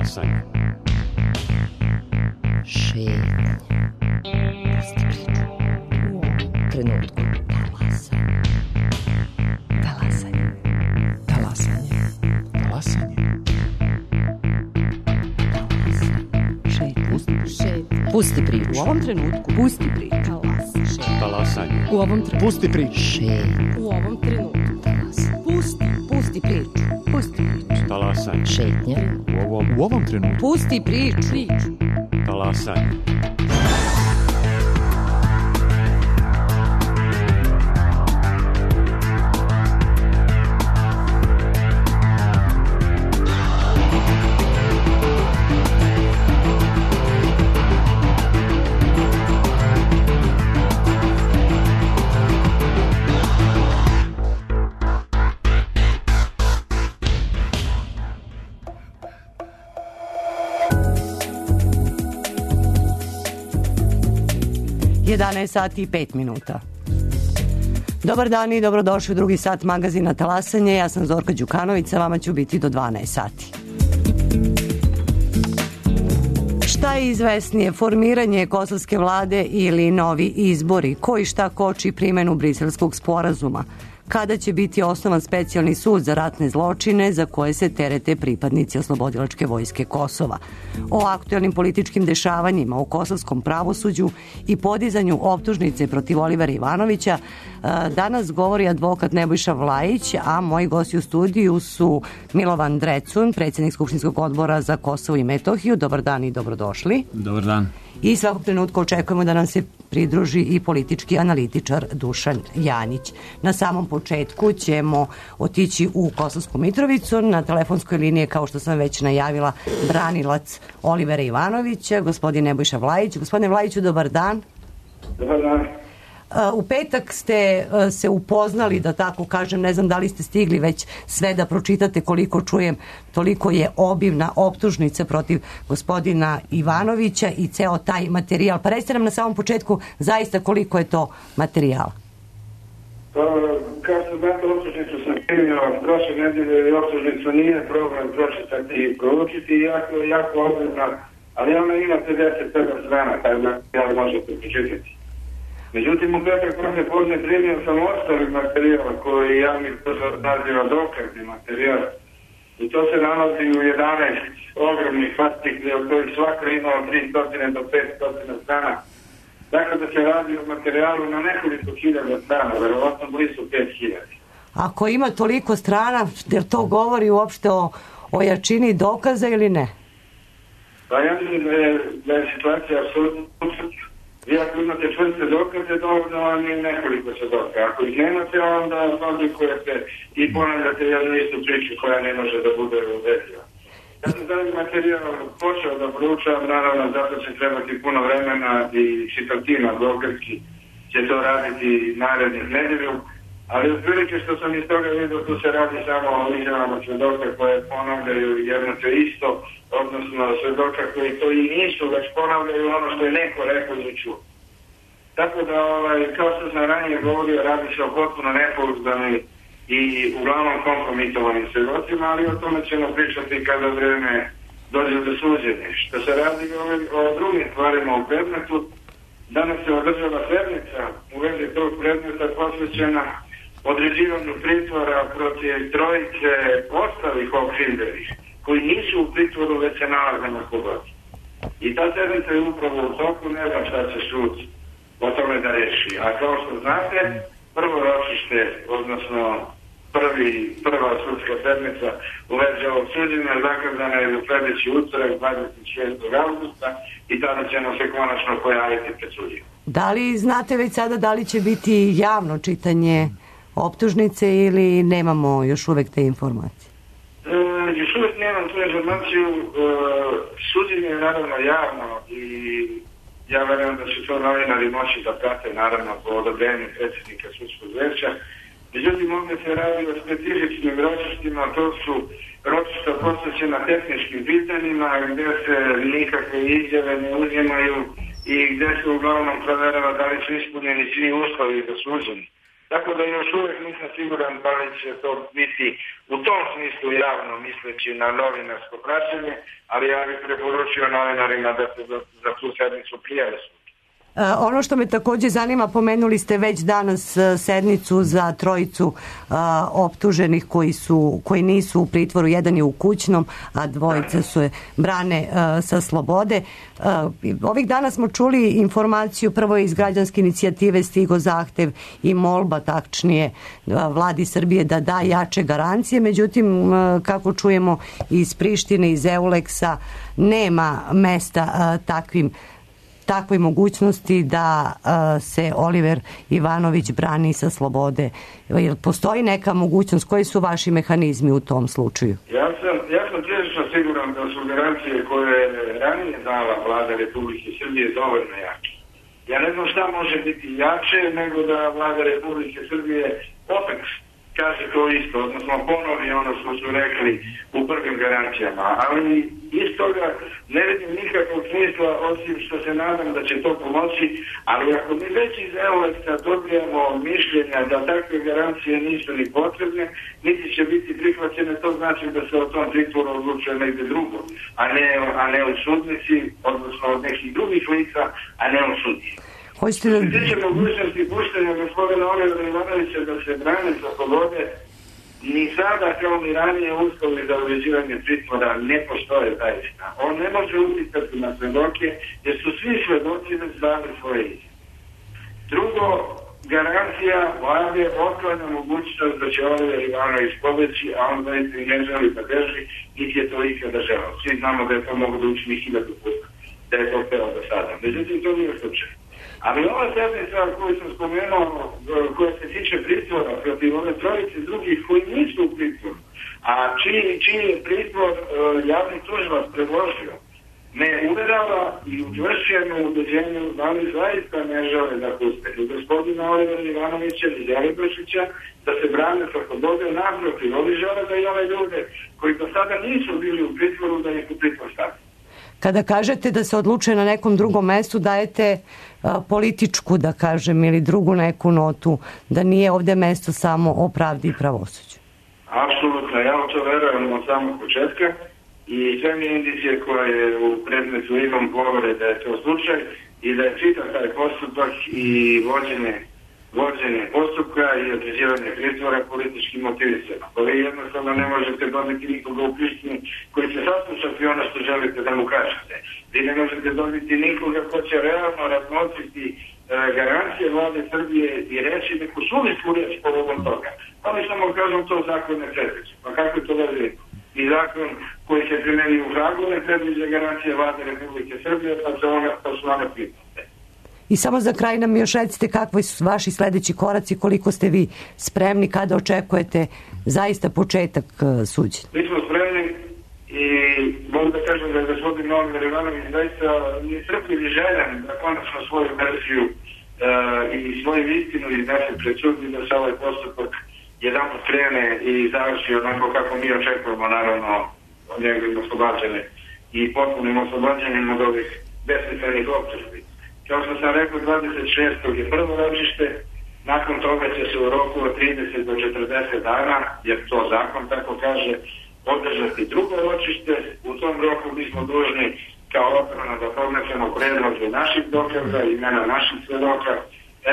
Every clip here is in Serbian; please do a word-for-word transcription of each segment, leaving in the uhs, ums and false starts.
Talasanje. Šetnja. Pusti priču. U trenutku. Talasanje. Talasanje. Talasanje. Talasanje. Šetnja. Pusti priču. Šetnja. Pusti priču. U ovom trenutku. Pusti priču. Talasanje. U ovom trenutku. Pusti priču. Šetnja. U ovom trenutku. Pusti. Pusti priču. Pusti priču. Talasanje. Šetnja. U ovom, u ovom trenutku. Pusti priču. Priču. Talasanje. jedanaest sati i pet minuta. Dobar dan i dobrodošli u drugi sat magazina Talasanje. Ja sam Zorka Đukanović, sa vama ću biti do dvanaest sati. Šta je izvesnije, formiranje kosovske vlade ili novi izbori? Ko i šta koči primjenu Briselskog sporazuma? Kada će biti osnovan specijalni sud za ratne zločine za koje se terete pripadnici Oslobodilačke vojske Kosova? O aktuelnim političkim dešavanjima u kosovskom pravosuđu i podizanju optužnice protiv Olivera Ivanovića danas govori advokat Nebojša Vlajić, a moji gosti u studiju su Milovan Drecun, predsjednik Skupštinskog odbora za Kosovo i Metohiju. Dobar dan i dobrodošli. Dobar dan. I svakog trenutka očekujemo da nam se pridruži i politički analitičar Dušan Janjić. Na samom početku ćemo otići u Kosovsku Mitrovicu. Na telefonskoj liniji, kao što sam već najavila, branilac Olivera Ivanovića, gospodin Nebojša Vlajić. Gospodine Vlajiću, dobar dan. Dobar dan. U petak ste se upoznali, da tako kažem, ne znam da li ste stigli već sve da pročitate, koliko čujem, toliko je obimna optužnica protiv gospodina Ivanovića i ceo taj materijal. Pa recite nam na samom početku zaista koliko je to materijala. Pa, kao što znate, optužnicu sam primio prošle nedelje i optužnicu nije problem pročitati i proučiti, jako, jako obimna, ali ona ima pedeset sedam strana, taj materijal možete pročitati. Međutim, u petak posle podne primio sam ostali materijal koji javni posao naziva dokazni materijal. I to se nalazi u jedanaest ogromnih fascikli, od kojih svaka imao tristo do petsto strana. Dakle, da se radi o materijalu na nekoliko hiljada strana, verovatno blizu pet hiljada. Ako ima toliko strana, jer to govori uopšte o, o jačini dokaza ili ne? Pa ja mislim da je, da je situacija apsolutno upravo. Vi ako imate čvrste dokaze, dovoljno vam je nekoliko svedoka. Ako ih nemate, onda fabrikujete i ponavljate jednu istu priču koja ne može da bude uvediva. Ja sam taj materijal počeo da proučavam, naravno zato će trebati puno vremena i čitatina advokatski će to raditi narednih nedelju, ali otprilike što sam iz toga vidio, tu se radi samo o izjavama svedoka koje ponavljaju jedno te isto, odnosno svedoka koji to i nisu, već ponavljaju ono što je neko rekao ili čuo. Tako da, ovaj, kao što sam ranije govorio, radi se o potpuno nepouzdanim i uglavnom kompromitovanim svedocima, ali o tome ćemo pričati kada vreme dođe do suđenja. Što se radi o, o drugim stvarima u predmetu, danas se održava sednica u vezi tog predmeta posvećena određivanju pritvora protiv trojice ostalih okrivljenih koji nisu u pritvoru, već se nalaze na slobodi. I ta sednica je upravo u toku, ne znam šta će sud o tome da reši. A kao što znate, prvo ročište, odnosno prvi, prva sudska sedmica u vezi ovog suđenja zakazana je za sledeći utorak dvadeset šestog avgusta i tada ćemo se konačno pojaviti pred sudijom. Da li znate već sada da li će biti javno čitanje optužnice ili nemamo još uvek te informacije? E, još uvek nemam tu informaciju. E, suđenje je naravno javno i ja verujem da će to novinari moći da prate, naravno po odobrenju predsjednika sudskog veća. Međutim, ovdje se radi o specifičnim ročištima, to su ročišta posvećena tehničkim pitanjima gdje se nikakve izjave ne uzimaju i gdje se uglavnom proverava da li su ispunjeni svi uslovi za suđenje. Tako da još uvijek nisam siguran da li će to biti u tom smislu javno misleći na novinarsko praćenje, ali ja bih preporučio novinarima da se za, za tu sednicu prijave. Ono što me takođe zanima, pomenuli ste već danas sednicu za trojicu a, optuženih koji su koji nisu u pritvoru, jedan je u kućnom, a dvojica su je brane a, sa slobode. A, ovih dana smo čuli informaciju, prvo iz građanske inicijative stigo zahtev i molba, tačnije a, vladi Srbije da da jače garancije, međutim a, kako čujemo iz Prištine, iz Euleksa, nema mesta a, takvim takvoj mogućnosti da uh, se Oliver Ivanović brani sa slobode. Jel postoji neka mogućnost? Koji su vaši mehanizmi u tom slučaju? Ja sam, ja sam prilično siguran da su garancije koje je ranije dala vlada Republike Srbije dovoljno jače. Ja ne znam šta može biti jače nego da vlada Republike Srbije opet kaže to isto, odnosno ponovi ono što su rekli u prvim garancijama, ali iz toga ne vidim nikakvog smisla osim što se nadam da će to pomoći, ali ako mi već iz Euleksa dobijemo mišljenja da takve garancije nisu ni potrebne, niti će biti prihvaćene, to znači da se o tom pritvoru odlučuje negdje drugo, a ne, a ne u sudnici, odnosno od nekih drugih lica, a ne u sudnici. Hoćete da... Tiče mogućnosti puštenja gospodina Olivera Ivanovića da se brane sa slobode, ni sada kao ni ranije uslovi za uređivanje pritvora ne postoje zaista. On ne može utjecati na svedoke jer su svi svedoci već dali svoje izjave. Drugo, garancija vlade otklanja mogućnost da će Oliver Ivanović pobeći, a on zaista i ne želi da beži, niti je to ikada želeo. Svi znamo da je to mogu da učini hiljadu puta, da je to peo do sada. Međutim, to nije slučaj. Ali ova sednica koju sam spomenuo, koja se tiče pritvora protiv ove trojice drugih koji nisu u pritvoru, a čiji, čiji je pritvor uh, javni tužilac predložio, me uverava i učvršćujemo u ubeđenju da oni zaista ne žele da puste ni gospodina Olivera Ivanovića ni Jelibršića da se brane sa slobode, naprotiv, oni žele da i ove ljude koji do sada nisu bili u pritvoru da ih u pritvor stavljaju. Kada kažete da se odlučuje na nekom drugom mestu, dajete a, političku, da kažem, ili drugu neku notu, da nije ovde mesto samo o pravdi i pravosuđu. Apsolutno, ja u to verujem od samog početka i sve mi indicije koje u predmetu imam govore da je to slučaj i da je čitav taj postupak i vođenje vođenje postupka i određivanje pritvora političkim motivisama. Pa vi jednostavno ne možete dobiti nikoga u Prištini koji će saslušati ono što želite da mu kažete. Vi ne možete dobiti nikoga ko će realno razmotriti e, garancije vlade Srbije i reći neku suvislu reč povodom toga. Oni samo kažu to zakon ne predviđa. Pa kako to veli? I zakon koji se primeni u Hagu ne predviđa garancije vlade Republike Srbije, pa se ona, pa su one pritvore. I samo za kraj nam još recite kakvi su vaši sledeći koraci, koliko ste vi spremni, kada očekujete zaista početak suđenja? Mi smo spremni i mogu da kažem da je gospodin Oliver Ivanović zaista nestrpljiv i željan da konačno svoju verziju uh, i svoju istinu iznese pred sud i da se ovaj postupak jedan put krene i završi onako kako mi očekujemo, naravno, od njegovim oslobađanje i potpunim oslobađanjem od ovih besmislenih optužbi. Kao što sam rekao, dvadeset šestog je prvo ročište, nakon toga će se u roku od trideset do četrdeset dana, jer to zakon tako kaže, održati drugo ročište. U tom roku mi smo dužni kao odbrana da podnesemo predloge naših dokaza, imena naših svedoka,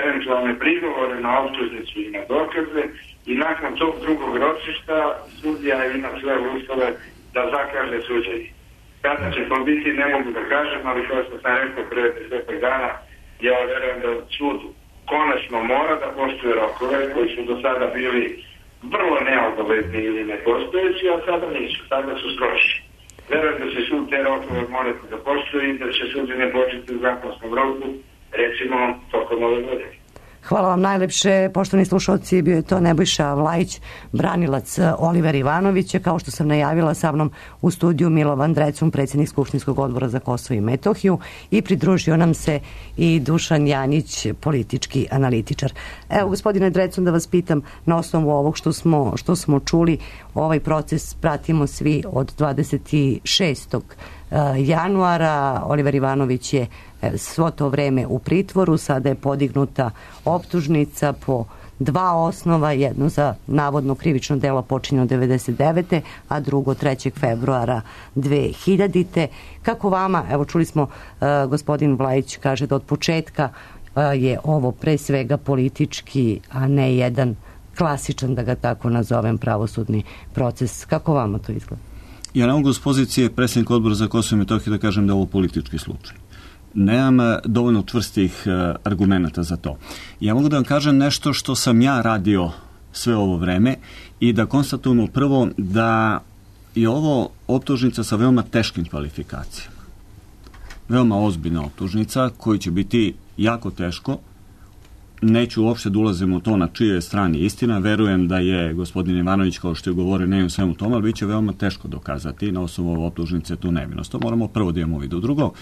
eventualne prigovore na optužnicu i na dokaze i nakon tog drugog ročišta sudija ima sve uslove da zakaže suđenje. Kada će to biti, ne mogu da kažem, ali kao što sam rekao pre desetak dana, ja verujem da sud konačno mora da poštuje rokove koji su do sada bili vrlo neobavezni ili nepostojeći, a sada nisu, sada su stroži. Verujem da će sud te rokove morati da poštuje i da će suđenje početi u zakonskom roku, recimo tokom ove godine. Hvala vam najlepše, poštovani slušalci, bio je to Nebojša Vlajić, branilac Olivera Ivanovića. Kao što sam najavila, sa mnom u studiju Milovan Drecun, predsjednik Skupštinskog odbora za Kosovo i Metohiju, i pridružio nam se i Dušan Janjić, politički analitičar. Evo, gospodine Drecun, da vas pitam, na osnovu ovog što smo, što smo čuli, ovaj proces pratimo svi od dvadeset šestog januara. Oliver Ivanović je svo to vreme u pritvoru, sada je podignuta optužnica po dva osnova, jedno za navodno krivično delo počinjeno devedeset devete. a drugo trećeg februara dve hiljadite. Kako vama, evo čuli smo, uh, gospodin Vlajić kaže da od početka uh, je ovo pre svega politički, a ne jedan klasičan, da ga tako nazovem, pravosudni proces. Kako vama to izgleda? Ja ne mogu s pozicije predsjednika Odbora za Kosovo i Metohiju da kažem da je ovo politički slučaj. Nemam dovoljno čvrstih argumenta za to. Ja mogu da vam kažem nešto što sam ja radio sve ovo vreme i da konstatujemo prvo da je ovo optužnica sa veoma teškim kvalifikacijama. Veoma ozbiljna optužnica koja će biti jako teško. Neću uopšte da ulazim u to na čije je strani istina. Verujem da je gospodin Ivanović, kao što je govorio, ne u svemu tome, ali bit će veoma teško dokazati na osnovu ove optužnice tu nevinost. To moramo prvo da imamo vidu. Drugo,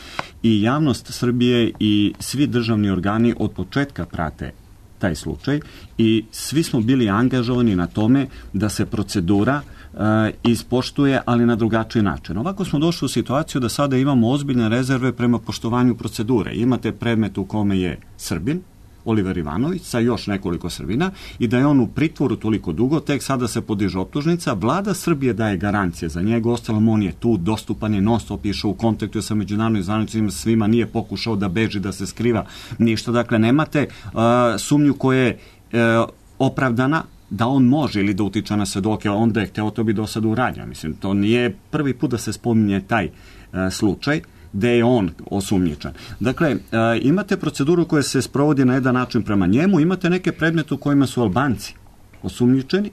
i javnost Srbije i svi državni organi od početka prate taj slučaj i svi smo bili angažovani na tome da se procedura uh, ispoštuje, ali na drugačiji način. Ovako smo došli u situaciju da sada imamo ozbiljne rezerve prema poštovanju procedure. Imate predmet u kome je Srbin, Oliver Ivanović, sa još nekoliko Srbina, i da je on u pritvoru toliko dugo, tek sada se podiže optužnica. Vlada Srbije daje garancije za njega, ostalom on je tu, dostupan je, non stop išao u kontaktu sa međunarodnim zvaničnicima, svima, nije pokušao da beži, da se skriva, ništa. Dakle, nemate uh, sumnju koja je uh, opravdana da on može ili da utiče na svedoke, onda je hteo, to bi do sada uradio. Mislim, to nije prvi put da se spominje taj uh, slučaj gde je on osumnjičan. Dakle, imate proceduru koja se sprovodi na jedan način prema njemu, imate neke predmete u kojima su Albanci osumnjičeni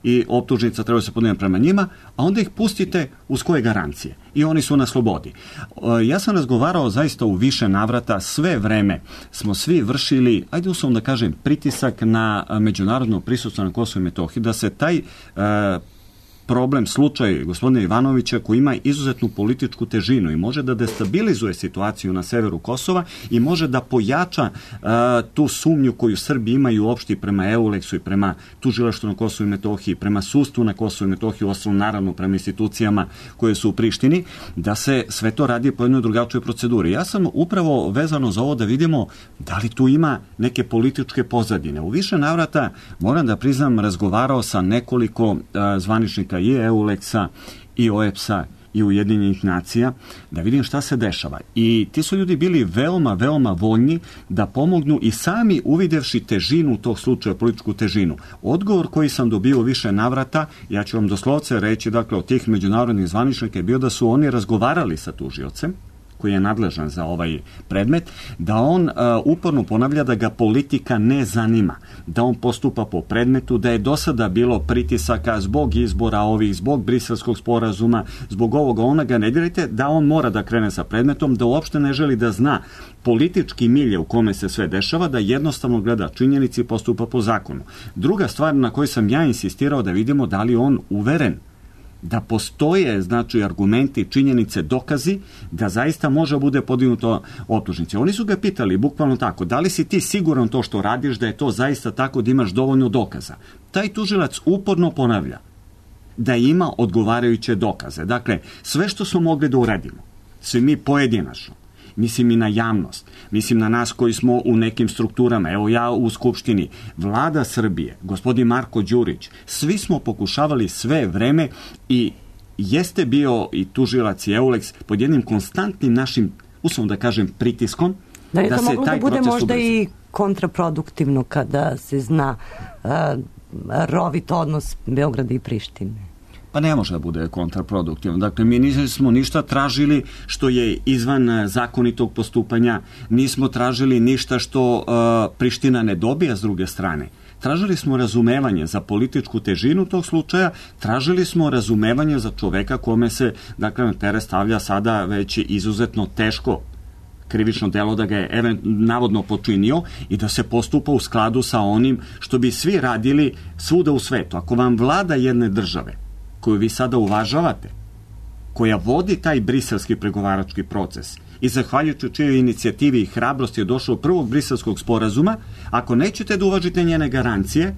i optužnica treba se podnijeti prema njima, a onda ih pustite uz koje garancije i oni su na slobodi. Ja sam razgovarao zaista u više navrata, sve vreme smo svi vršili, ajde uslovno da kažem, pritisak na međunarodno prisustvo na Kosovo i Metohiji, da se taj problem, slučaj gospodina Ivanovića, koji ima izuzetnu političku težinu i može da destabilizuje situaciju na severu Kosova i može da pojača uh, tu sumnju koju Srbi imaju uopšte prema Euleksu i prema tužilaštvu na Kosovu i Metohiji, prema sudstvu na Kosovu i Metohiji, osnovno naravno prema institucijama koje su u Prištini, da se sve to radi po jednoj drugačoj proceduri. Ja sam upravo vezano za ovo da vidimo da li tu ima neke političke pozadine. U više navrata, moram da priznam, razgovarao sa nekoliko uh, zvaničnika i Euleksa i O E P S-a i Ujedinjenih nacija, da vidim šta se dešava. I ti su ljudi bili veoma, veoma voljni da pomognu i sami uvidevši težinu tog slučaja, političku težinu. Odgovor koji sam dobio više navrata, ja ću vam doslovce reći, dakle, od tih međunarodnih zvaničnika je bio da su oni razgovarali sa tužiocem, koji je nadležan za ovaj predmet, da on uh, uporno ponavlja da ga politika ne zanima, da on postupa po predmetu, da je do sada bilo pritisaka zbog izbora ovih, zbog Briselskog sporazuma, zbog ovoga, onoga, ne dirajte, da on mora da krene sa predmetom, da uopšte ne želi da zna politički milje u kome se sve dešava, da jednostavno gleda činjenici i postupa po zakonu. Druga stvar na kojoj sam ja insistirao da vidimo da li on uveren da postoje, znači, argumenti, činjenice, dokazi, da zaista može bude podignuto optužnice. Oni su ga pitali, bukvalno tako, da li si ti siguran to što radiš, da je to zaista tako, da imaš dovoljno dokaza? Taj tužilac uporno ponavlja da ima odgovarajuće dokaze. Dakle, sve što smo mogli da uradimo, svi mi pojedinačno, mislim i na javnost, mislim na nas koji smo u nekim strukturama, evo ja u Skupštini, Vlada Srbije, gospodin Marko Đurić, svi smo pokušavali sve vreme i jeste bio i tužilac i Euleks pod jednim konstantnim našim, uslovno da kažem, pritiskom, da, da se taj da bude proces možda ubrza. I kontraproduktivno kada se zna uh, rovit odnos Beograda i Prištine. Pa ne može da bude kontraproduktivno. Dakle, mi nismo ništa tražili što je izvan zakonitog postupanja, nismo tražili ništa što uh, Priština ne dobija s druge strane. Tražili smo razumevanje za političku težinu tog slučaja, tražili smo razumevanje za čoveka kome se, dakle, na teret stavlja sada već izuzetno teško krivično delo da ga je navodno počinio i da se postupa u skladu sa onim što bi svi radili svuda u svetu. Ako vam vlada jedne države koju vi sada uvažavate, koja vodi taj briselski pregovarački proces i zahvaljujući čijoj inicijativi i hrabrosti je došlo do prvog briselskog sporazuma, ako nećete da uvažite njene garancije,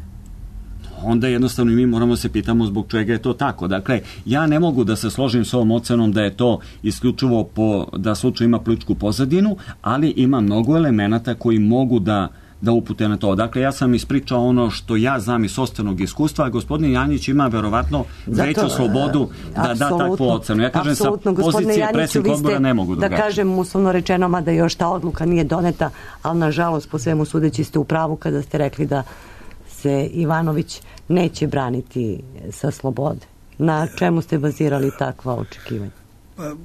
onda jednostavno mi moramo se pitamo zbog čega je to tako. Dakle, ja ne mogu da se složim s ovom ocenom da je to isključivo po, da slučaj ima političku pozadinu, ali ima mnogo elemenata koji mogu da da upute na to. Dakle, ja sam ispričao ono što ja znam iz sopstvenog iskustva, a gospodin Janjić ima verovatno veću slobodu da da takvu ocenu. Ja kažem, sa pozicije predsjednika odbora ne mogu drugačije. Da kažem, uslovno rečeno, mada još ta odluka nije doneta, ali nažalost, po svemu sudeći ste u pravu kada ste rekli da se Ivanović neće braniti sa slobode. Na čemu ste bazirali takva očekivanja? Pa,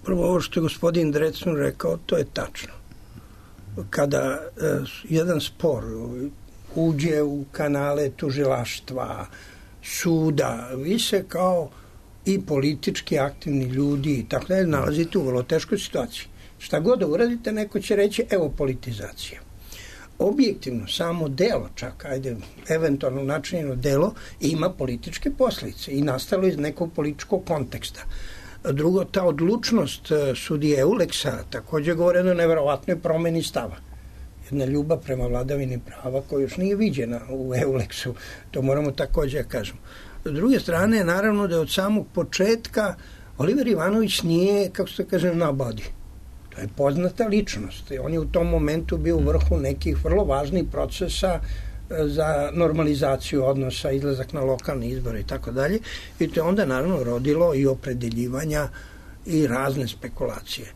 prvo ovo što je gospodin Drecun rekao, to je tačno. Kada e, jedan spor uđe u kanale tužilaštva, suda, vi se kao i politički aktivni ljudi i tako da nalazite u vrlo teškoj situaciji. Šta god da uradite, neko će reći evo politizacija. Objektivno, samo delo, čak, ajde, eventualno načinjeno delo, ima političke posljedice i nastalo iz nekog političkog konteksta. Drugo, ta odlučnost sudije Euleksa također govori o nevjerovatnoj promjeni stava. Jedna ljubav prema vladavini prava koja još nije viđena u Euleksu, to moramo također kažemo. S druge strane, naravno da je od samog početka Oliver Ivanović nije, kako se kaže, nobody. To je poznata ličnost. On je u tom momentu bio u vrhu nekih vrlo važnih procesa za normalizaciju odnosa, izlazak na lokalne izbore i tako dalje. I to je onda naravno rodilo i opredeljivanja i razne spekulacije.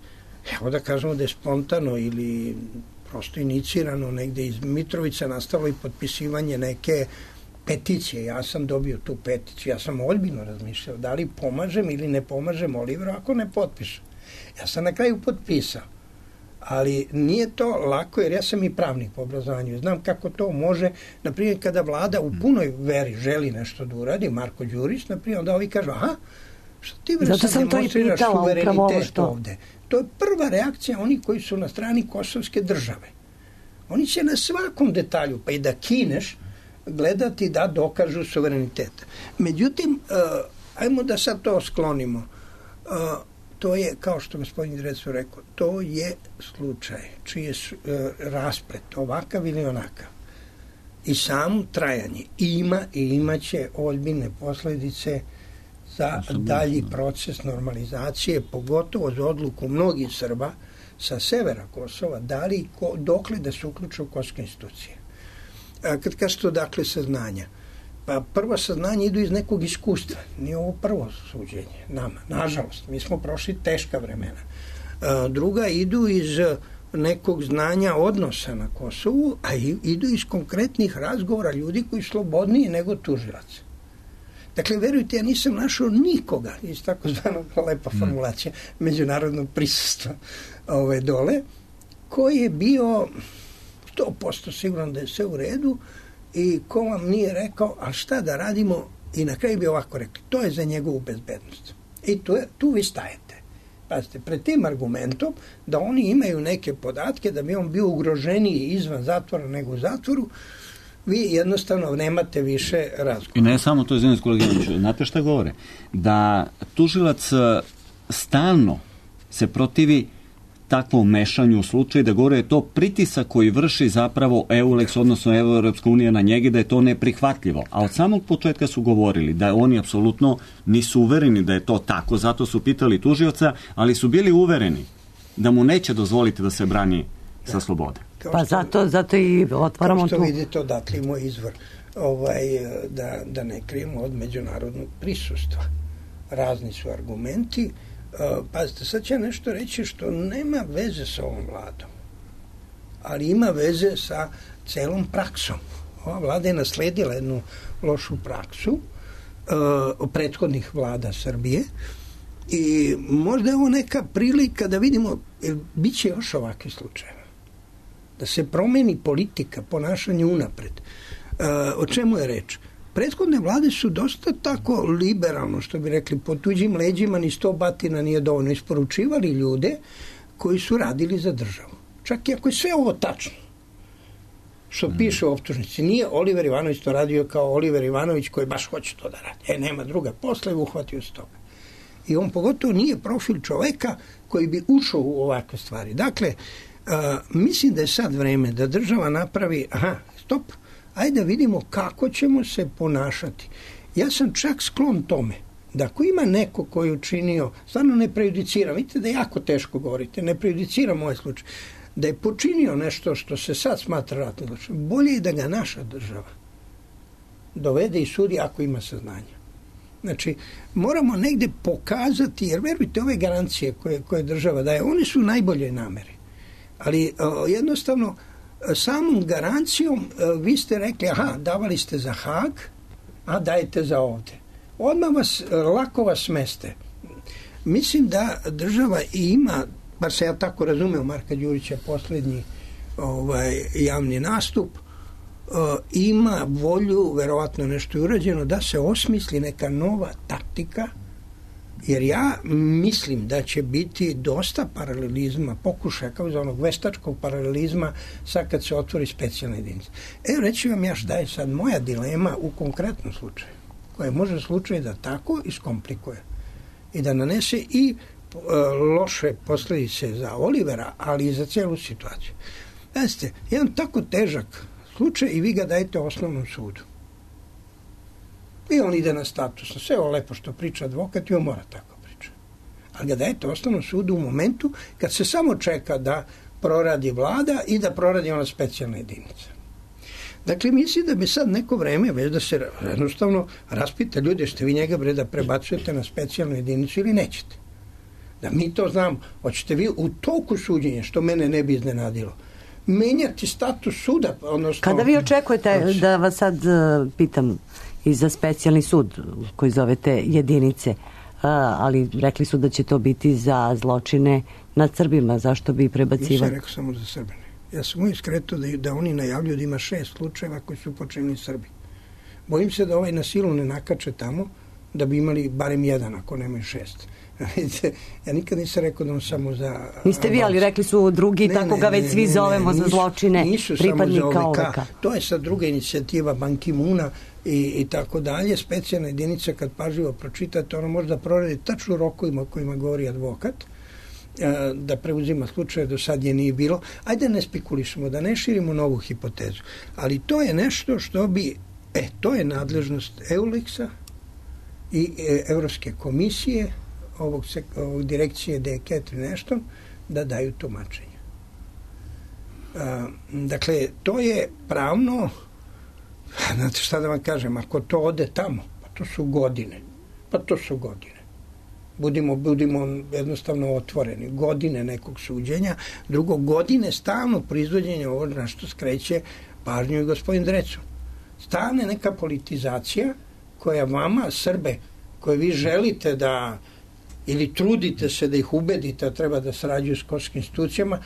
Evo da kažemo da je spontano ili prosto inicirano negde iz Mitrovica nastalo i potpisivanje neke peticije. Ja sam dobio tu peticiju. Ja sam ozbiljno razmišljao da li pomažem ili ne pomažem Oliveru ako ne potpišem. Ja sam na kraju potpisao. Ali nije to lako jer ja sam i pravnik po obrazovanju. Znam kako to može, na primjer kada vlada u punoj veri želi nešto da uradi, Marko Đurić, na primjer, onda ovi kažu, aha, što ti bre sad demonstriraš suverenitet što... ovde? To je prva reakcija onih koji su na strani kosovske države. Oni će na svakom detalju, pa i da kineš, gledati da dokažu suverenitet. Međutim, uh, ajmo da sad to sklonimo. Uh, to je, kao što gospodin Drecun rekao, to je slučaj čiji je uh, rasplet ovakav ili onakav. I samo trajanje ima i imaće ozbiljne posljedice za dalji proces normalizacije, pogotovo za odluku mnogih Srba sa severa Kosova, da li ko, dokle da se uključe u kosovske institucije. A kad kažete to, dakle, saznanja, pa prvo saznanje idu iz nekog iskustva. Nije ovo prvo suđenje nama, nažalost. Mi smo prošli teška vremena. A druga idu iz nekog znanja odnosa na Kosovu, a idu iz konkretnih razgovora ljudi koji su slobodniji nego tužilac. Dakle, verujte, ja nisam našao nikoga iz takozvanog, lepa formulacija, međunarodnog prisustva ove dole, koji je bio sto posto siguran da je sve u redu i ko vam nije rekao, a šta da radimo, i na kraju bi ovako rekli, to je za njegovu bezbednost. I tu, je, tu vi stajete. Pazite, pred tim argumentom da oni imaju neke podatke da bi on bio ugroženiji izvan zatvora nego u zatvoru, vi jednostavno nemate više razgovora. I ne samo to, izvinim, kolega Ivanović, znate šta govore? Da tužilac stalno se protivi takvom mešanju u slučaju, da govore je to pritisak koji vrši zapravo Euleks, odnosno Evropska unija na njega, da je to neprihvatljivo. A od samog početka su govorili da oni apsolutno nisu uvereni da je to tako, zato su pitali tužioca, ali su bili uvereni da mu neće dozvoliti da se brani da. sa slobode. Kao pa što, zato, zato i otvaramo tu. Kao što tu. Vidite, odatle i moj izvor, ovaj, da, da ne krijemo od međunarodnog prisustva. Razni su argumenti. Uh, pazite, sad će nešto reći što nema veze sa ovom vladom, ali ima veze sa celom praksom. Ova vlada je nasledila jednu lošu praksu uh, prethodnih vlada Srbije i možda je ovo neka prilika da vidimo, jer bit će još ovakvi slučajeva. Da se promeni politika, ponašanje unapred. Uh, o čemu je reč? Prethodne vlade su dosta tako liberalno, što bi rekli, po tuđim leđima ni sto batina nije dovoljno, isporučivali ljude koji su radili za državu. Čak i ako je sve ovo tačno, što mm. piše u optužnici, nije Oliver Ivanović to radio kao Oliver Ivanović koji baš hoće to da radi. E, nema druga posla i uhvatio se toga. I on pogotovo nije profil čoveka koji bi ušao u ovakve stvari. Dakle, a, mislim da je sad vreme da država napravi, aha, stop, ajde da vidimo kako ćemo se ponašati. Ja sam čak sklon tome da ako ima neko koji je učinio, stvarno ne prejudiciram, vidite da jako teško govorite, ne prejudiciram ovaj slučaj, da je počinio nešto što se sad smatra ratnim zločinom, bolje je da ga naša država dovede i sudi ako ima saznanja. Znači, moramo negde pokazati, jer verujte, ove garancije koje, koje država daje, one su najbolje namere. Ali o, jednostavno, samom garancijom o, vi ste rekli, aha, davali ste za Hag, a dajete za ovde. Odmah vas, lako vas smeste. Mislim da država ima, bar se ja tako razumeo, Marka Đurića poslednji ovaj, javni nastup, uh, ima volju, verovatno nešto je urađeno, da se osmisli neka nova taktika, jer ja mislim da će biti dosta paralelizma, pokušaja kao za onog veštačkog paralelizma sad kad se otvori specijalna jedinica. Evo reći vam ja šta je sad moja dilema u konkretnom slučaju, koja može slučaj da tako iskomplikuje i da nanese i e, loše posledice za Olivera, ali i za celu situaciju. Znate, jedan tako težak slučaj i vi ga dajete osnovnom sudu. I on ide na statusno. Sve ovo lepo što priča advokat i on mora tako priča. Ali ga dajete osnovnom sudu u momentu kad se samo čeka da proradi vlada i da proradi ona specijalna jedinica. Dakle, mislim da bi sad neko vreme već da se jednostavno raspita ljudi, ste vi njega bre da prebacujete na specijalnu jedinicu ili nećete. Da mi to znam, hoćete vi u toku suđenja, što mene ne bi iznenadilo, menjati status suda. Odnosno, kada vi očekujete, znači, da vas sad uh, pitam i za specijalni sud koji zovete jedinice, uh, ali rekli su da će to biti za zločine nad Srbima, zašto bi prebacivali? Nisam rekao samo za Srbine. Ja sam uvijek skretao da, da oni najavljuju da ima šest slučajeva koji su počinili Srbi. Bojim se da ovaj na silu ne nakače tamo, da bi imali barem jedan, ako nemaju šest. Ja nikad nisam rekao da on samo za... Niste vi, ali rekli su drugi, ne, tako ne, ga već ne, svi ne, zovemo ne, nisu, za zločine pripadnika O V K. To je sad druga inicijativa Ban Ki-moona i, i tako dalje. Specijalna jedinica, kad pažljivo pročitate, ona može da proradi tačno rokovima o kojima govori advokat, da preuzima slučaje, do sad je nije bilo. Ajde ne spekulišemo, da ne širimo novu hipotezu. Ali to je nešto što bi, e, to je nadležnost Eulexa i e, Evropske komisije, ovog, ovog direkcije D K tri nešto, da daju tumačenje. A, dakle, to je pravno, znate šta da vam kažem, ako to ode tamo, pa to su godine. Pa to su godine. Budimo, budimo jednostavno otvoreni. Godine nekog suđenja, drugo, godine stalno proizvođenja ovo na što skreće pažnju i gospodin Drecun. Stalno neka politizacija koja vama, Srbe, koje vi želite da ili trudite se da ih ubedite da treba da sarađuju s kosovskim institucijama,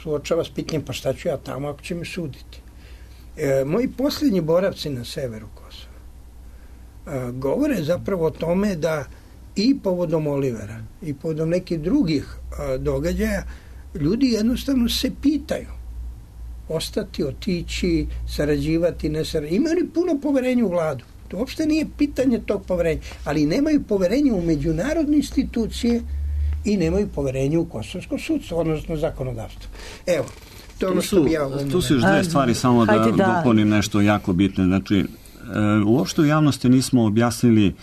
suočava s pitanjem pa šta ću ja tamo ako će me suditi. E, moji posljednji boravci na severu Kosova e, govore zapravo o tome da i povodom Olivera i povodom nekih drugih a, događaja ljudi jednostavno se pitaju ostati, otići, sarađivati, ne sarađivati. Imaju puno poverenja u vladu. To uopšte nije pitanje tog poverenja, ali nemaju poverenja u međunarodne institucije i nemaju poverenja u kosovsko sudstvo, odnosno zakonodavstvo. Evo, to ono što bi ja... Tu su još dve stvari, samo da, da dopunim nešto jako bitno. Znači, e, uopšte u javnosti nismo objasnili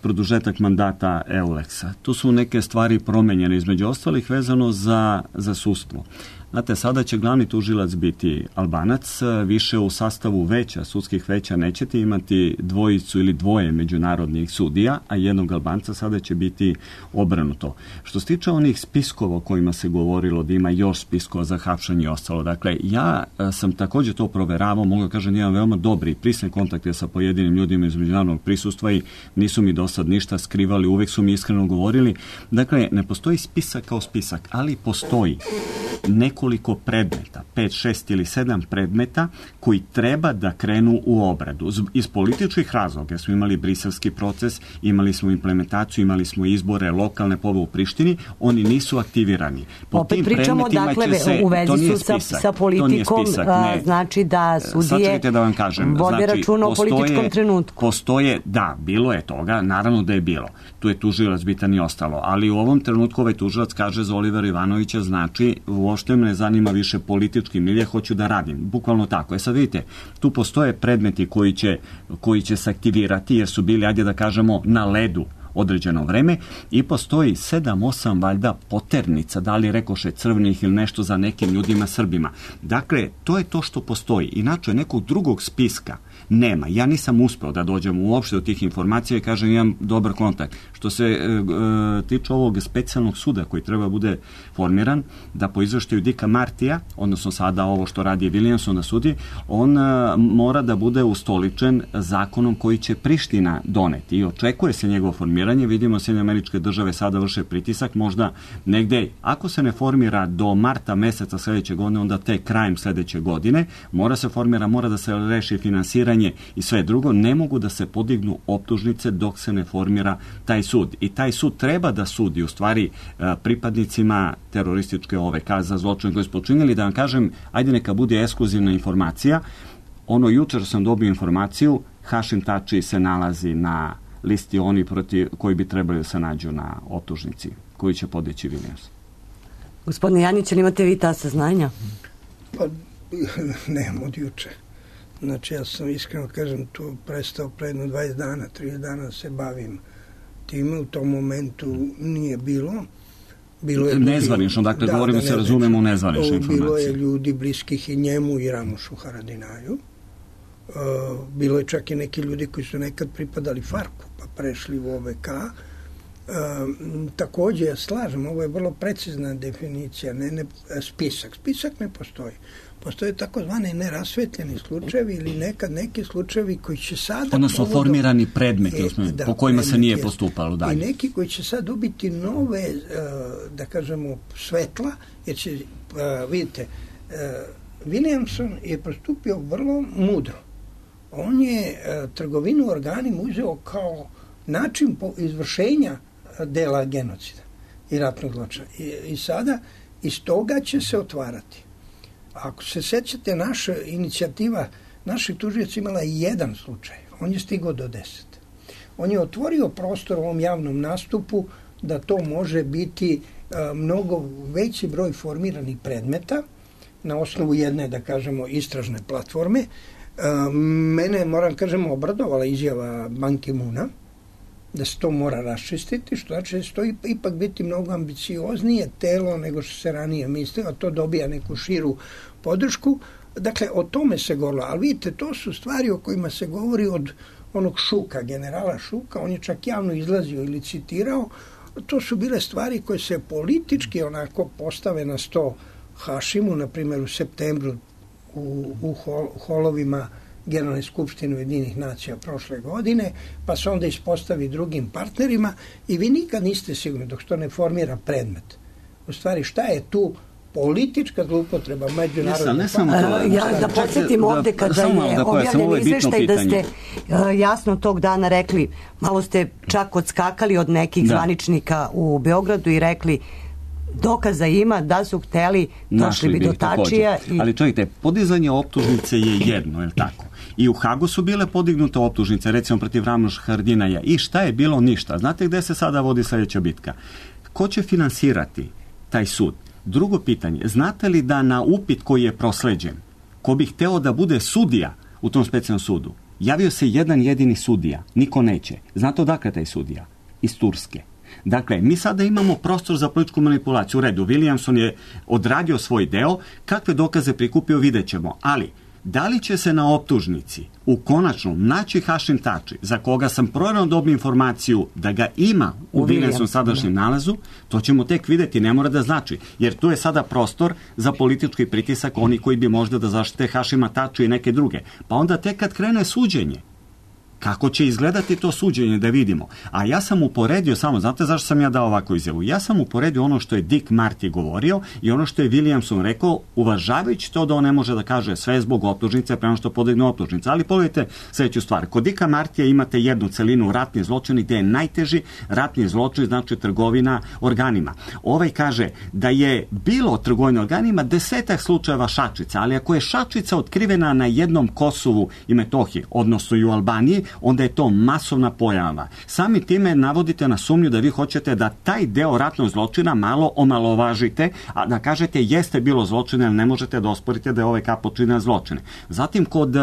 produžetak mandata Eulexa. Tu su neke stvari promenjene, između ostalih vezano za, za sudstvo. Znate, sada će glavni tužilac biti Albanac, više u sastavu veća, sudskih veća nećete imati dvojicu ili dvoje međunarodnih sudija, a jednog Albanca, sada će biti obrnuto. Što se tiče onih spiskova o kojima se govorilo, da ima još spiskova za hapšanje i ostalo, dakle, ja sam također to proveravao, mogu kažem da imam veoma dobri i prisne kontakte sa pojedinim ljudima iz međunarodnog prisustva i nisu mi do sad ništa skrivali, uvek su mi iskreno govorili. Dakle, ne postoji spisak kao spisak, ali postoji nekoliko predmeta, pet, šest ili sedam predmeta koji treba da krenu u obradu. Iz političkih razloga smo imali briselski proces, imali smo implementaciju, imali smo izbore lokalne pobe u Prištini, oni nisu aktivirani. Po Opet tim pričamo, dakle, se, u vezi su sa, sa politikom, spisak, a, znači da sudije da vam kažem, vode znači, računa o političkom trenutku. Postoje, da, bilo je toga, naravno da je bilo. Tu je tužilac bitan i ostalo, ali u ovom trenutku ovaj tužilac kaže za Olivera Ivanovića, znači uopšte me ne zanima više politički milje, hoću da radim. Bukvalno tako. E sad vidite, tu postoje predmeti koji će, koji će se aktivirati jer su bili, ajde da kažemo, na ledu određeno vreme i postoji sedam osam valjda poternica, da li rekoše crvenih ili nešto za nekim ljudima Srbima. Dakle, to je to što postoji. Inače, nekog drugog spiska nema. Ja nisam uspeo da dođem uopšte do tih informacija i kažem imam dobar kontakt. Što se e, e, tiče ovog specijalnog suda koji treba bude formiran, da po izveštaju Dicka Martija, odnosno sada ovo što radi Williamson na sudi, on a, mora da bude ustoličen zakonom koji će Priština doneti i očekuje se njegovo formiranje. Vidimo Sjedinjene Američke Države sada vrše pritisak, možda negde, ako se ne formira do marta meseca sledeće godine, onda te krajem sledeće godine, mora se formira, mora da se reši finansiranje i sve drugo, ne mogu da se podignu optužnice dok se ne formira taj sud. I taj sud treba da sudi u stvari pripadnicima terorističke ove za zločine koje su počinili. Da vam kažem, ajde neka bude ekskluzivna informacija. Ono, jučer sam dobio informaciju, Hašim Tači se nalazi na listi oni protiv koji bi trebali da se nađu na optužnici koji će podići Williams. Gospodine Janjić, ali imate vi ta saznanja? Pa, nemam od juče. Znači, ja sam iskreno kažem tu prestao predno dvadeset dana, trideset dana se bavim time, u tom momentu nije bilo. Bilo je nezvanično, dakle, da, govorimo da, se, razumemo u nezvanične informacije. Bilo je ljudi bliskih i njemu i Ramušu Haradinaju. Uh, bilo je čak i neki ljudi koji su nekad pripadali Farku, pa prešli u O V K. Uh, takođe, ja slažem, ovo je vrlo precizna definicija, ne, ne, spisak. Spisak ne postoji. Postoje takozvane nerasvetljeni slučajevi ili nekad neki slučajevi koji će sada... Odnosno povodom, formirani predmeti e, da, po kojima se nije postupalo dalje. I neki koji će sad dobiti nove, da kažemo, svetla, jer će, vidite, Williamson je postupio vrlo mudro. On je trgovinu organima uzeo kao način izvršenja dela genocida i ratnog zločina. I, i sada iz toga će se otvarati. Ako se sećate, naša inicijativa, naših tužioca imala jedan slučaj. On je stigao do deset. On je otvorio prostor u ovom javnom nastupu da to može biti a, mnogo veći broj formiranih predmeta na osnovu jedne, da kažemo, istražne platforme. A, mene, moram kažemo, obradovala izjava Ban Ki-moona da se to mora raščistiti, što znači da će to ipak biti mnogo ambicioznije telo nego što se ranije mislilo, a to dobija neku širu podršku. Dakle, o tome se govorilo, ali vidite, to su stvari o kojima se govori od onog Šuka, generala Šuka, on je čak javno izlazio ili citirao, to su bile stvari koje se politički onako postave na sto Hašimu, na primjer u septembru u, u hol, holovima Generalne skupštine Ujedinjenih nacija prošle godine, pa se onda ispostavi drugim partnerima i vi nikad niste sigurni dok što ne formira predmet. U stvari, šta je tu politička zloupotreba međunarodne... Ne samo to. Ja da podsjetim ovde kada je objavljen izveštaj da ste jasno tog dana rekli, malo ste čak odskakali od nekih zvaničnika u Beogradu i rekli dokaza ima da su hteli, došli bi do Tačija. I... Ali čovjek, podizanje optužnice je jedno, je li tako? I u Hagu su bile podignute optužnice, recimo protiv Ramuša Haradinaja. I šta je bilo? Ništa. Znate gde se sada vodi sledeća bitka? Ko će finansirati taj sud? Drugo pitanje, znate li da na upit koji je prosleđen, ko bi hteo da bude sudija u tom specijalnom sudu, javio se jedan jedini sudija, niko neće. Znate odakle taj sudija? Iz Turske. Dakle, mi sada imamo prostor za političku manipulaciju. U redu, Williamson je odradio svoj deo, kakve dokaze prikupio vidjet ćemo, ali da li će se na optužnici u konačnom naći Hašim Tači, za koga sam provjereno dobio informaciju da ga ima u Williamson sadašnjem nalazu, to ćemo tek vidjeti, ne mora da znači, jer tu je sada prostor za politički pritisak oni koji bi možda da zaštite Hašima Taču i neke druge. Pa onda tek kad krene suđenje, kako će izgledati to suđenje da vidimo. A ja sam uporedio samo, znate zašto sam ja dao ovakvu izjavu? Ja sam uporedio ono što je Dick Marty govorio i ono što je Williamson rekao, uvažavajući to da on ne može da kaže sve zbog optužnice prema što podigne optužnice. Ali pogledajte sljedeću stvar. Kod Dicka Martija imate jednu celinu ratni zločini gde je najteži ratni zločin, znači trgovina organima. Ovaj kaže da je bilo trgovina organima desetak slučajeva šačica, ali ako je šačica otkrivena na jednom Kosovu i Metohiji, odnosno i u Albaniji, onda je to masovna pojava. Sami time navodite na sumnju da vi hoćete da taj deo ratnog zločina malo omalovažite, a da kažete jeste bilo zločine, ali ne možete da osporite da je O V K počinio zločine. Zatim, kod uh,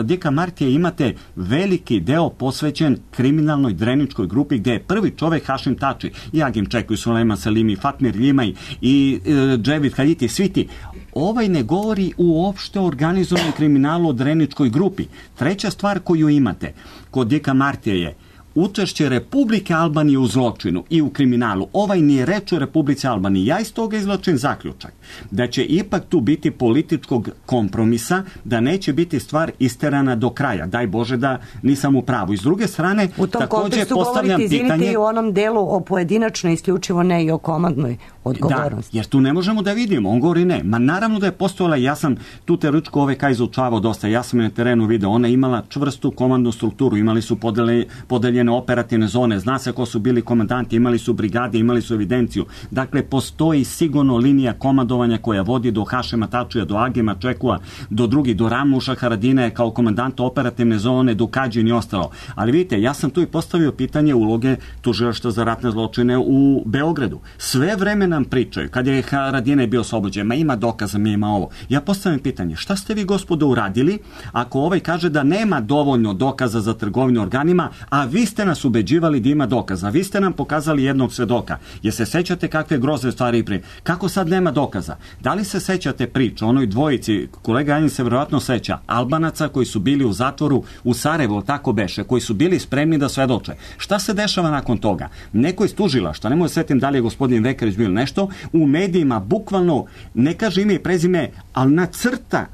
Dika Martije imate veliki deo posvećen kriminalnoj dreničkoj grupi, gde je prvi čovek Hašim Tači, i Agim Čeku, Sulejman Salimi, Fatmir Ljimaj i uh, Dževid Haditi, svi ti. Ovaj ne govori uopšte o organizovanom kriminalu o dreničkoj grupi. Treća stvar koju imate kod Dika Martije je učešće Republike Albanije u zločinu i u kriminalu. Ovaj nije reč o Republici Albaniji. Ja iz toga izvlačim zaključak da će ipak tu biti političkog kompromisa, da neće biti stvar isterana do kraja. Daj Bože da nisam u pravu. I s druge strane, u tom takođe postavljam govorite, pitanje... i u onom delu o pojedinačnoj, isključivo ne i o komandnoj odgovornosti. Da, jer tu ne možemo da vidimo. On govori ne. Ma naravno da je postojala, ja sam tu teoretičku O V K izučavao dosta. Ja sam je na terenu video. Ona je imala čvrstu komandnu strukturu. Imali su podele, podeljene operativne zone, zna se ko su bili komandanti, imali su brigade, imali su evidenciju. Dakle, postoji sigurno linija komandovanja koja vodi do Hašima Tačija, do Agima Čekua, do drugih, do Ramuša Haradine kao komandanta operativne zone, do Kađin i ostalo. Ali vidite, ja sam tu i postavio pitanje uloge tužilaštva za ratne zločine u Beogradu. Sve vreme nam pričaju, kad je Haradine bio oslobođen, ma ima dokaza, mi ima ovo. Ja postavim pitanje, šta ste vi, gospodo, uradili ako ovaj kaže da nema dovoljno dokaza za trgovinu organima, a vi ste nas ubeđivali da ima dokaza. Vi ste nam pokazali jednog svedoka. Je se sećate kakve grozne stvari pri? Kako sad nema dokaza? Da li se sećate priča o onoj dvojici, kolega Janin se verovatno seća, Albanaca koji su bili u zatvoru u Sarajevu, tako beše, koji su bili spremni da svedoče. Šta se dešava nakon toga? Neko iz tužilaštva, ne mogu setim da li je gospodin Vekarić bilo nešto, u medijima bukvalno, ne kaže ime i prezime, ali nacrta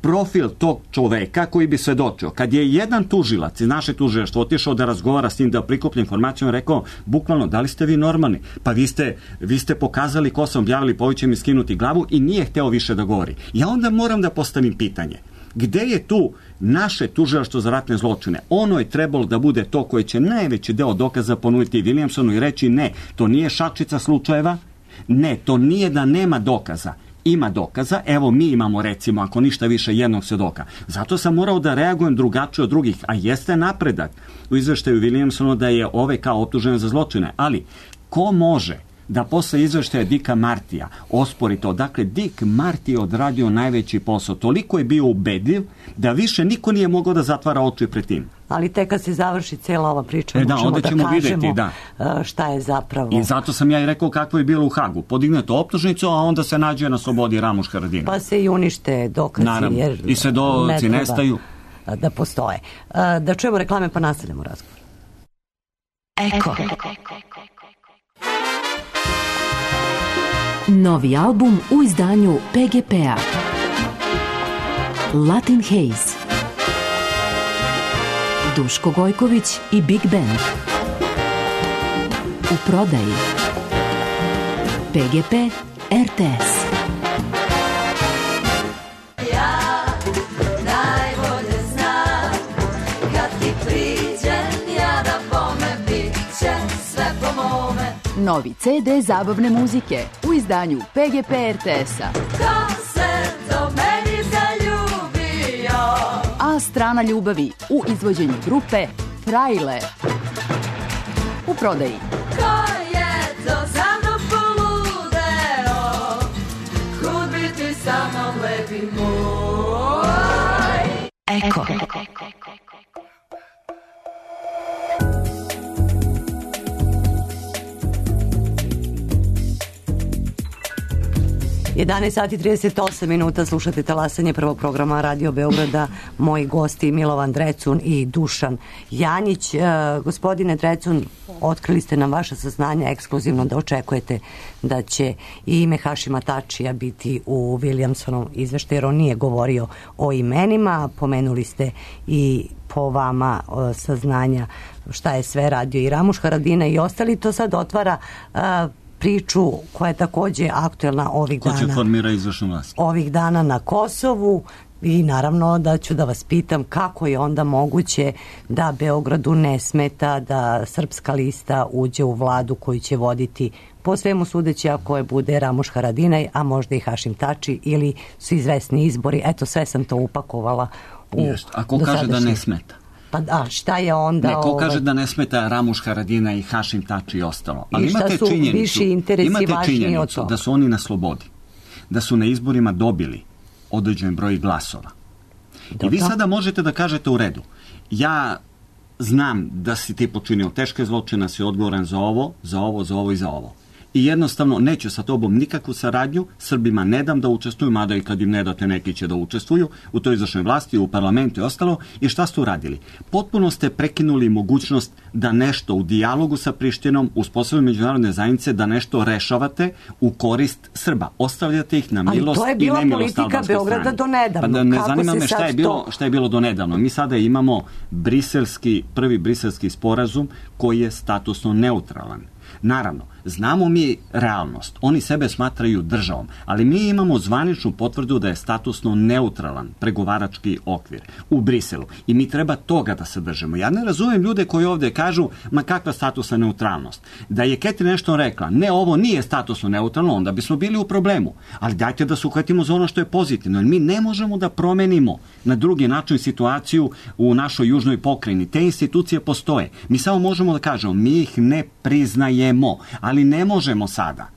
profil tog čoveka koji bi svedočio. Kad je jedan tužilac iz naše tužilaštva otišao da razgovara s njim, da prikuplja informaciju, on rekao, bukvalno, da li ste vi normalni? Pa vi ste, vi ste pokazali ko sam objavili, pa ovaj će mi skinuti glavu, i nije hteo više da govori. Ja onda moram da postavim pitanje. Gde je tu naše tužilaštvo za ratne zločine? Ono je trebalo da bude to koje će najveći deo dokaza ponuditi Williamsonu i reći ne, to nije šačica slučajeva, ne, to nije da nema dokaza. Ima dokaza, evo mi imamo recimo, ako ništa više, jednog svedoka. Zato sam morao da reagujem drugačije od drugih, a jeste napredak u izveštaju Williamsonu da je O V K optužen za zločine. Ali, ko može da posle izveštaja Dika Martija ospori to? Dakle, Dik Marti je odradio najveći posao. Toliko je bio ubedljiv da više niko nije mogao da zatvara oči pred tim. Ali tek kad se završi cijela ova priča, e da, možemo da kažemo videti, da. šta je zapravo. I zato sam ja i rekao kako je bilo u Hagu. Podignete optužnicu, a onda se nađe na slobodi Ramuš Haradina. Pa se i unište dokazi. Naravno. Jer i svedoci ne nestaju. Da postoje. Da čujemo reklame pa nastavljamo razgovor. Eko. Novi album u izdanju P G P-a. Latin Haze. Duško Gojković i Big Band. U prodaji. P G P R T S. Ja najbolje znam kad ti priđem ja da bome bit će sve po mome. Novi C D zabavne muzike u izdanju P G P R T S-a. Ko se do meni zaljubio? A strana ljubavi u izvođenju grupe Frajle. U prodaji. Ko je to za mnom poludeo? Kud bi ti sa mnom lepi moj? Eko. jedanaest sati i trideset osam minuta, slušate talasanje prvog programa Radio Beograda. Moji gosti Milovan Drecun i Dušan Janjić. E, gospodine Drecun, otkrili ste nam vaše saznanje ekskluzivno da očekujete da će i ime Hašima Tačija biti u Williamsonom izveštaju, jer on nije govorio o imenima. Pomenuli ste i po vama o, saznanja šta je sve radio i Ramuš Haradina i ostali. To sad otvara a, priču koja je takođe aktuelna ovih Ko dana. će formira izvršnu vlast? Ovih dana na Kosovu, i naravno da ću da vas pitam kako je onda moguće da Beogradu ne smeta da Srpska lista uđe u vladu koju će voditi po svemu sudeći ako je bude Ramuš Haradinaj, a možda i Hašim Tači, ili su izvesni izbori. Eto, sve sam to upakovala u Jest. A ko kaže da ne smeta? Pa da, šta je onda... Neko ovaj... kaže da ne smeta Ramuš Haradina i Hašim Tači i ostalo. Ali I šta imate su činjenicu, viši interesi imate važniji od činjenicu toga? da su oni na slobodi, da su na izborima dobili određen broj glasova. Dobro. I vi sada možete da kažete u redu, ja znam da si ti počinio teške zločine, si odgovoran za ovo, za ovo, za ovo i za ovo. I jednostavno neću sa tobom nikakvu saradnju, Srbima ne dam da učestvuju, mada i kad im ne date neki će da učestvuju u toj izvršnoj vlasti, u parlamentu i ostalo. I šta ste uradili? Potpuno ste prekinuli mogućnost da nešto u dijalogu sa Prištinom, uspostavljaju međunarodne zajednice, da nešto rešavate u korist Srba. Ostavljate ih na milost i nemilost albanske strane. Ali to je bila politika Beograda do nedavno. Pa da ne Kako zanima me šta je, bilo, to... šta je bilo do nedavno. Mi sada imamo briselski, prvi briselski sporazum koji je statusno neutralan. Naravno, znamo mi realnost. Oni sebe smatraju državom, ali mi imamo zvaničnu potvrdu da je statusno neutralan pregovarački okvir u Briselu. I mi treba toga da se držimo. Ja ne razumem ljude koji ovdje kažu, ma kakva statusna neutralnost. Da je Keti nešto rekla, ne, ovo nije statusno neutralno, onda bismo bili u problemu. Ali dajte da se uhvatimo za ono što je pozitivno. Jer mi ne možemo da promenimo na drugi način situaciju u našoj južnoj pokrajini. Te institucije postoje. Mi samo možemo da kažemo, mi ih ne priznajemo, ali ne možemo sada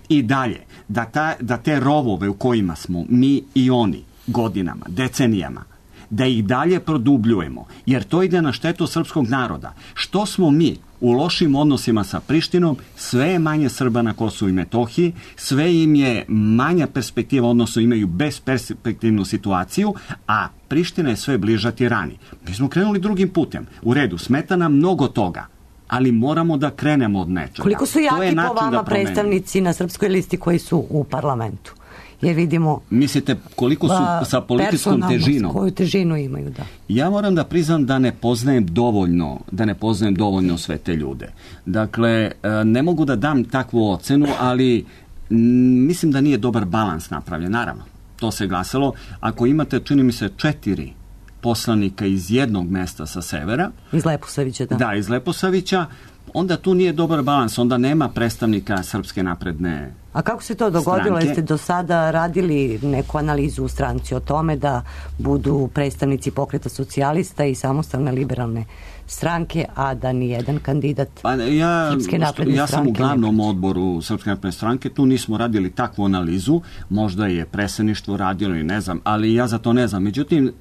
i dalje da, ta, da te rovove u kojima smo mi i oni godinama, decenijama, da ih dalje produbljujemo, jer to ide na štetu srpskog naroda. Što smo mi u lošim odnosima sa Prištinom, sve je manje Srba na Kosovu i Metohiji, sve im je manja perspektiva, odnosno imaju besperspektivnu situaciju, a Priština je sve bliža tirani. Mi smo krenuli drugim putem. U redu, smeta nam mnogo toga, ali moramo da krenemo od nečega. Koliko su jaki po vama predstavnici na srpskoj listi koji su u parlamentu? Je vidimo... Mislite koliko su ba, sa političkom težinom? Koju težinu imaju, da. Ja moram da priznam da ne poznajem dovoljno, da ne poznajem dovoljno sve te ljude. Dakle, ne mogu da dam takvu ocenu, ali mislim da nije dobar balans napravljen. Naravno, to se glasalo. Ako imate, čini mi se, četiri poslanika iz jednog mesta sa severa. Iz Leposavića, da. Da, iz Leposavića. Onda tu nije dobar balans, onda nema predstavnika Srpske napredne. A kako se to dogodilo? Jeste do sada radili neku analizu u stranci o tome da budu predstavnici Pokreta socijalista i Samostalne liberalne stranke, a da ni jedan kandidat pa ja, Srpske napredne ja stranke? Ja sam u glavnom odboru Srpske napredne stranke, tu nismo radili takvu analizu, možda je predsjedništvo radilo i ne znam, ali ja za to ne znam. Međutim,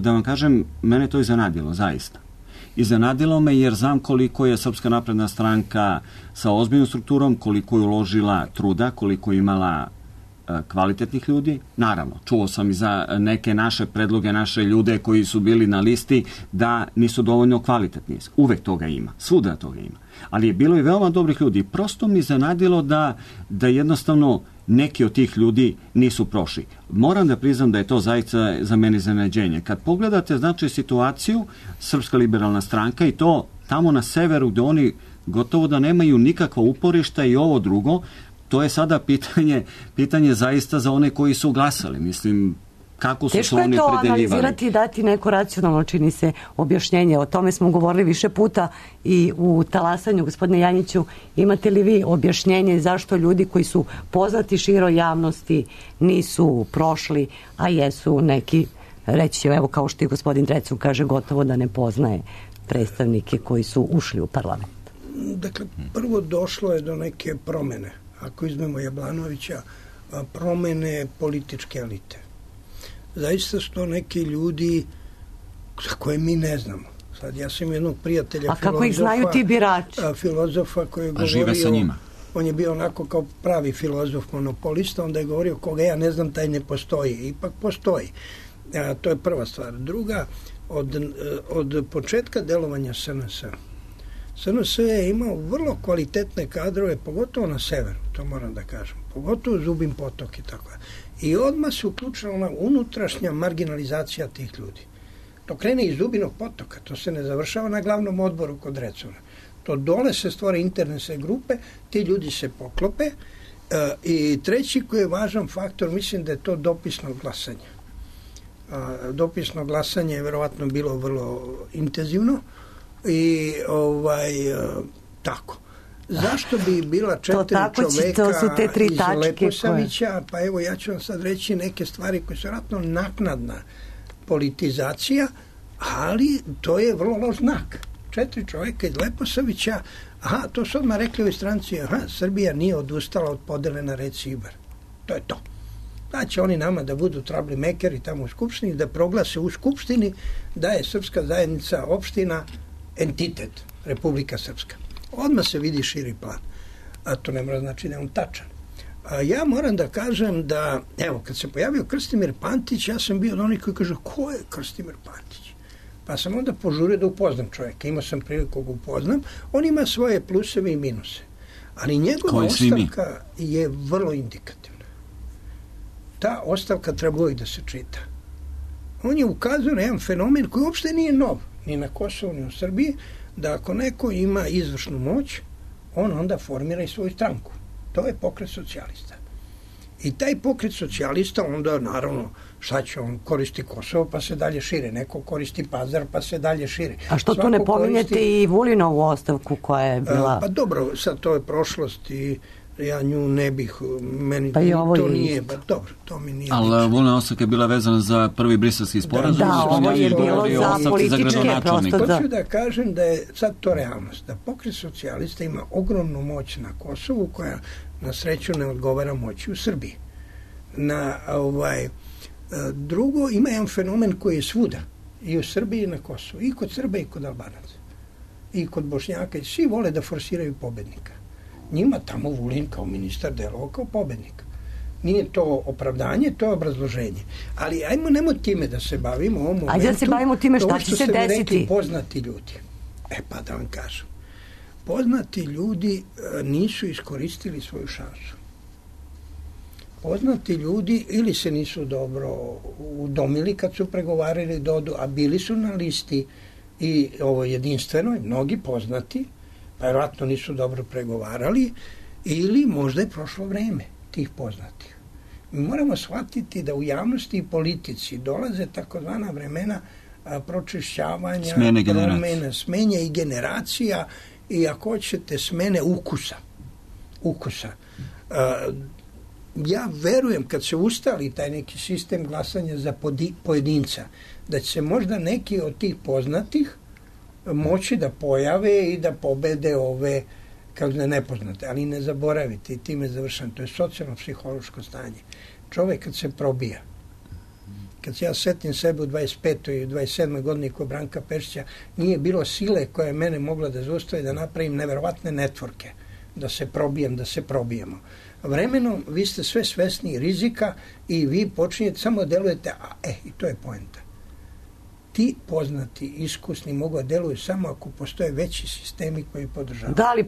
da vam kažem, mene to iznenadilo, zaista. Iznenadilo me jer znam koliko je Srpska napredna stranka sa ozbiljnom strukturom, koliko je uložila truda, koliko je imala e, kvalitetnih ljudi. Naravno, čuo sam i za neke naše predloge, naše ljude koji su bili na listi da nisu dovoljno kvalitetni. Uvek toga ima, svuda toga ima. Ali je bilo i veoma dobrih ljudi. Prosto mi iznenadilo da, da jednostavno neki od tih ljudi nisu prošli. Moram da priznam da je to zaista za mene iznenađenje. Kad pogledate, znači, situaciju, Srpska liberalna stranka i to tamo na severu gde oni gotovo da nemaju nikakva uporišta i ovo drugo, to je sada pitanje, pitanje zaista za one koji su glasali. Mislim, kako su teško se oni to predeljivali. analizirati i dati neko racionalno, čini se, objašnjenje. O tome smo govorili više puta i u talasanju. Gospodine Janjiću, imate li vi objašnjenje zašto ljudi koji su poznati široj javnosti nisu prošli, a jesu neki, reći će, evo kao što i gospodin Drecun kaže, gotovo da ne poznaje predstavnike koji su ušli u parlament? Dakle, prvo došlo je do neke promene. Ako izmemo Jablanovića, promene političke elite. Zaista su to neki ljudi za koje mi ne znamo. Sad, ja sam jednog prijatelja, a kako ih znaju ti birači? Filozofa koji je govorio, žive sa njima. On je bio onako kao pravi filozof, monopolista, onda je govorio koga ja ne znam, taj ne postoji. Ipak postoji. A, to je prva stvar. Druga, od, od početka delovanja S N S S N S je imao vrlo kvalitetne kadrove, pogotovo na severu, to moram da kažem, pogotovo Zubin Potok i tako. I odmah se uključila ona unutrašnja marginalizacija tih ljudi. To krene iz Zubinog Potoka, to se ne završava na glavnom odboru kod Drecuna. To dole se stvore internetske grupe, ti ljudi se poklope e, i treći koji je važan faktor, mislim da je to dopisno glasanje. A, dopisno glasanje je verovatno bilo vrlo intenzivno i ovaj tako. Zašto bi bila četiri čoveka iz Leposavića, koje... pa evo ja ću vam sad reći neke stvari koje su vjerojatno naknadna politizacija, ali to je vrlo loš znak. Četiri čovjeka iz Leposavića, aha, to su odmah rekli u stranci, aha, Srbija nije odustala od podele na reci Ibar. To je to. Da će oni nama da budu troublemaker tamo u Skupštini, da proglase u Skupštini da je Srpska zajednica opština entitet, Republika Srpska. Odmah se vidi širi plan. A to ne mora znači da je on tačan. A ja moram da kažem da, evo, kad se pojavio Krstimir Pantić, ja sam bio od onih koji kaže, ko je Krstimir Pantić? Pa sam onda požurio da upoznam čovjeka. Imao sam priliku da upoznam. On ima svoje pluseve i minuse. Ali njegova ostavka je vrlo indikativna. Ta ostavka treba uvijek da se čita. On je ukazao na jedan fenomen koji uopšte nije nov, ni na Kosovu, ni u Srbiji, da ako neko ima izvršnu moć, on onda formira i svoju stranku. To je pokret socijalista. I taj pokret socijalista onda, naravno, šta će on koristi Kosovo, pa se dalje šire. Neko koristi Pazar, pa se dalje šire. A što tu ne pominjete koristi... i Vulinovu ostavku koja je bila... Pa dobro, sad to je prošlost i ja nju ne bih, meni pa ovo to je nije, ba, dobro, to mi nije. Ali Vulina ostavka je bila vezana za prvi briselski sporazum. Da, da, ovo je bilo za političke, prosto da. Hoću da kažem da je sad to realnost, da pokret socijalista ima ogromnu moć na Kosovu, koja na sreću ne odgovara moći u Srbiji. Na ovaj drugo, ima jedan fenomen koji je svuda, i u Srbiji i na Kosovu, i kod Srba i kod Albanaca, i kod Bošnjaka, i svi vole da forsiraju pobednika. Njima tamo Vulin kao ministar delovao kao pobednik. Nije to opravdanje, to je obrazloženje. Ali ajmo, nemoj time da se bavimo u ovom momentu. Ajde da se bavimo time šta će se desiti. Rekli, poznati ljudi. E pa da vam kažem. Poznati ljudi nisu iskoristili svoju šansu. Poznati ljudi ili se nisu dobro udomili kad su pregovarali dodu, a bili su na listi i ovo jedinstveno, mnogi poznati, pa vjerojatno nisu dobro pregovarali, ili možda je prošlo vreme tih poznatih. Mi moramo shvatiti da u javnosti i politici dolaze takozvana vremena a, pročišćavanja, smene promena, smenja i generacija i ako hoćete smene ukusa. Ukusa. A, ja verujem kad se ustali taj neki sistem glasanja za pojedinca, da će se možda neki od tih poznatih moći da pojave i da pobede ove kao da nepoznate, ali ne zaboravite i time završam, to je socijalno-psihološko stanje. Čovjek kad se probija, kad se ja setim sebe u dvadeset petoj i dvadeset sedmoj godini kod Branka Pešića, nije bilo sile koja je mene mogla da zaustavi da napravim neverovatne netvorke, da se probijem, da se probijemo. Vremenom vi ste sve svesni rizika i vi počinjete, samo delujete, a e, i to je poenta. Ti poznati, iskusni mogu da deluju samo ako postoje veći sistemi koji podržavaju. Da li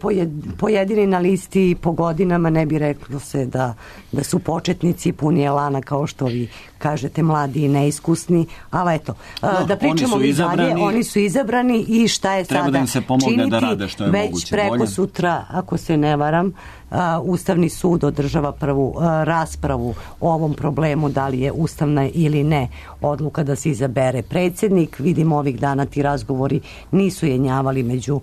pojedini na listi po godinama ne bi reklo se da, da su početnici puni elana kao što vi kažete, mladi i neiskusni, ali eto, no, da pričamo oni su izabrani, dalje, oni su izabrani i šta je treba sada da im se pomogne činiti, da rade što je već moguće preko bolje. Sutra, ako se ne varam, Uh, Ustavni sud održava prvu uh, raspravu o ovom problemu, da li je ustavna ili ne odluka da se izabere predsjednik. Vidimo ovih dana ti razgovori nisu jenjavali među uh,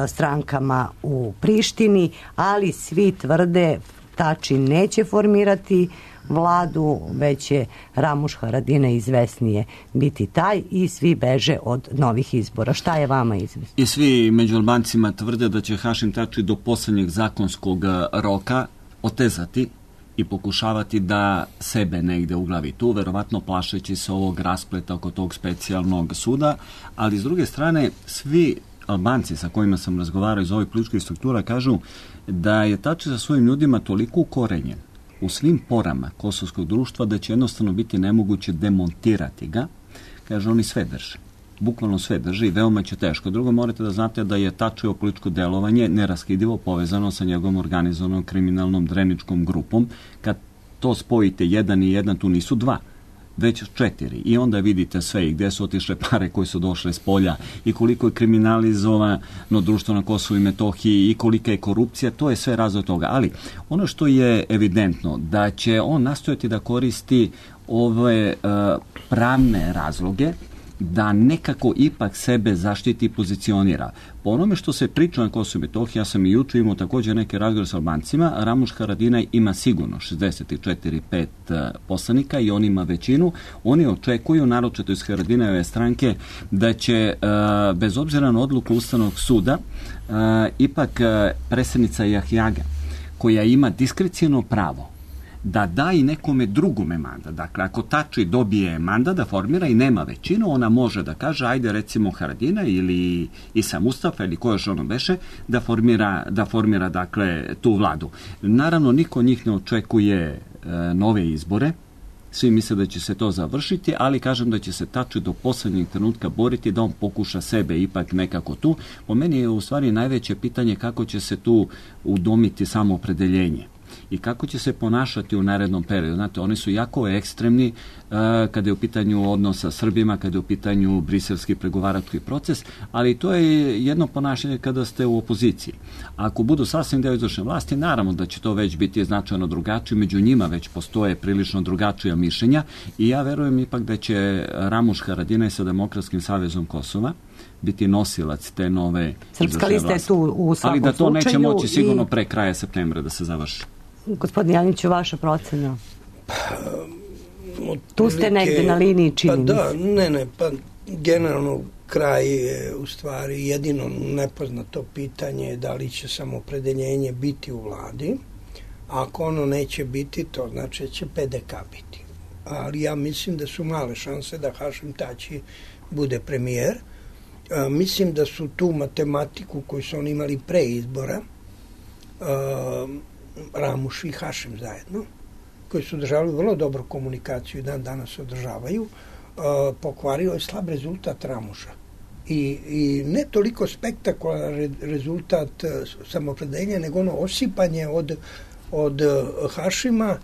strankama u Prištini, ali svi tvrde Tači neće formirati vladu, već će Ramuš Haradinaj izvesnije biti taj i svi beže od novih izbora. Šta je vama izvesno? I svi među Albancima tvrde da će Hašim Tači do posljednjeg zakonskog roka otezati i pokušavati da sebe negde uglavi tu, verovatno plašeći se ovog raspleta oko tog specijalnog suda, ali s druge strane svi Albanci sa kojima sam razgovarao iz ovih političkih struktura kažu da je Tači sa svojim ljudima toliko ukorenjen u svim porama kosovskog društva da će jednostavno biti nemoguće demontirati ga. Kaže, oni sve drže. Bukvalno sve drže i veoma će teško. Drugo, morate da znate da je Tačijevo političko delovanje neraskidivo povezano sa njegovom organizovanom kriminalnom dreničkom grupom. Kad to spojite jedan i jedan, tu nisu dva, već četiri. I onda vidite sve i gde su otišle pare koje su došle s polja i koliko je kriminalizovano društvo na Kosovu i Metohiji i kolika je korupcija, to je sve razlog toga. Ali ono što je evidentno, da će on nastojati da koristi ove uh, pravne razloge da nekako ipak sebe zaštiti i pozicionira. Po onome što se priča na Kosovu i Metohiji, ja sam i juče imao također neke razgovore sa Albancima, Ramuš Haradinaj ima sigurno šezdeset četiri pet poslanika i on ima većinu. Oni očekuju, naročito iz Haradinajeve stranke, da će, bez obzira na odluku Ustavnog suda, ipak predsjednica Jahjaga, koja ima diskreciono pravo da da i nekome drugome mandat. Dakle, ako Tači dobije mandat da formira i nema većinu, ona može da kaže, ajde recimo Haradina ili Isa Mustafa ili ko još ono beše, da formira, da formira dakle, tu vladu. Naravno, niko od njih ne očekuje e, nove izbore, svi misle da će se to završiti, ali kažem da će se Tači do poslednjeg trenutka boriti da on pokuša sebe ipak nekako tu. Po meni je u stvari najveće pitanje kako će se tu udomiti samoopredeljenje i kako će se ponašati u narednom periodu. Znate, oni su jako ekstremni uh, kada je u pitanju odnos sa Srbima, kada je u pitanju briselski pregovarački proces, ali to je jedno ponašanje kada ste u opoziciji. Ako budu sasvim deo izvršne vlasti, naravno da će to već biti značajno drugačije, među njima već postoje prilično drugačija mišljenja i ja verujem ipak da će Ramuš Haradinaj sa Demokratskim savezom Kosova biti nosilac te nove Srpska lista je tu u svakom slučaju. Ali da to neće moći sigurno pre kraja septembra da se završi. Gospodin Janiću, vaša procena? Pa, tu ste negde na liniji, čini mi se. Pa da, ne, ne, pa generalno kraj je u stvari jedino nepoznato pitanje da li će samoopredeljenje biti u vladi. Ako ono neće biti, to znači da će P D K biti. Ali ja mislim da su male šanse da Hašim Tači bude premijer. A, mislim da su tu matematiku koju su oni imali pre izbora, a, Ramuš i Hašim zajedno, koji su održavali vrlo dobru komunikaciju i dan danas održavaju, uh, pokvario je slab rezultat Ramuša. I, i ne toliko spektakularan re, rezultat uh, samoopredeljenja, nego ono osipanje od, od uh, Hašima,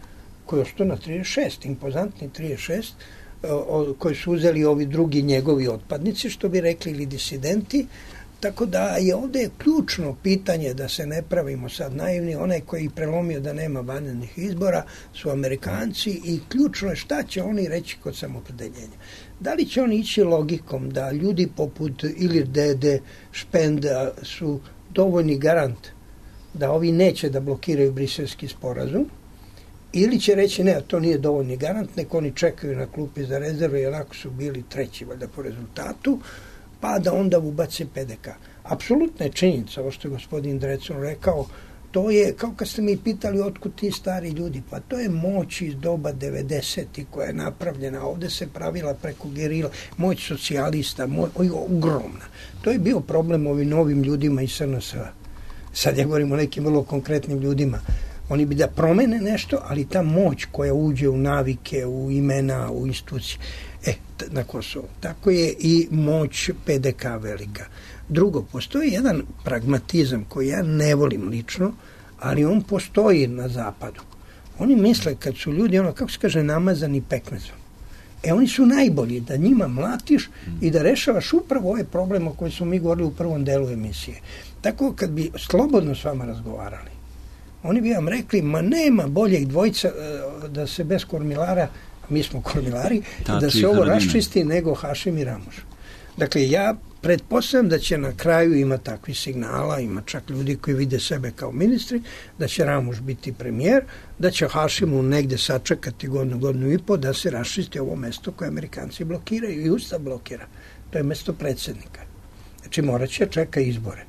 koji je ostao na trideset šest, impozantni trideset šest, uh, od, koji su uzeli ovi drugi njegovi otpadnici, što bi rekli, ili disidenti. Tako da je ovdje ključno pitanje, da se ne pravimo sad naivni, onaj koji prelomio da nema vanrednih izbora su Amerikanci i ključno je šta će oni reći kod samoopredeljenja. Da li će oni ići logikom da ljudi poput Ilir Dede, Špenda su dovoljni garant da ovi neće da blokiraju briselski sporazum, ili će reći ne, to nije dovoljni garant, nek oni čekaju na klupi za rezerve i onako su bili treći valjda po rezultatu, pa da onda ubace P D K. Apsolutna je činjenica, ovo što je gospodin Drecun rekao, to je, kao kad ste mi pitali otkud ti stari ljudi, pa to je moć iz doba devedesetih koja je napravljena, ovde se pravila preko gerila, moć socijalista, moć, ogromna. To je bio problem ovim novim ljudima iz S N S-a. Sad ja govorim o nekim vrlo konkretnim ljudima. Oni bi da promene nešto, ali ta moć koja uđe u navike, u imena, u institucije, e, na Kosovu. Tako je i moć P D K velika. Drugo, postoji jedan pragmatizam koji ja ne volim lično, ali on postoji na zapadu. Oni misle kad su ljudi, ono, kako se kaže, namazani pekmezom. E, oni su najbolji da njima mlatiš i da rešavaš upravo ove probleme o koje smo mi govorili u prvom delu emisije. Tako kad bi slobodno s vama razgovarali, oni bi vam rekli, ma nema boljeg dvojca da se bez kormilara, mi smo kormilari, Tači da se ovo raščisti nego Hašim i Ramuš. Dakle, ja pretpostavljam da će na kraju ima takvih signala, ima čak ljudi koji vide sebe kao ministri, da će Ramuš biti premijer, da će Hašimu negde sačekati godinu, godinu i po da se raščisti ovo mesto koje Amerikanci blokiraju i Ustav blokira. To je mesto predsjednika. Znači, morat će čeka izbore.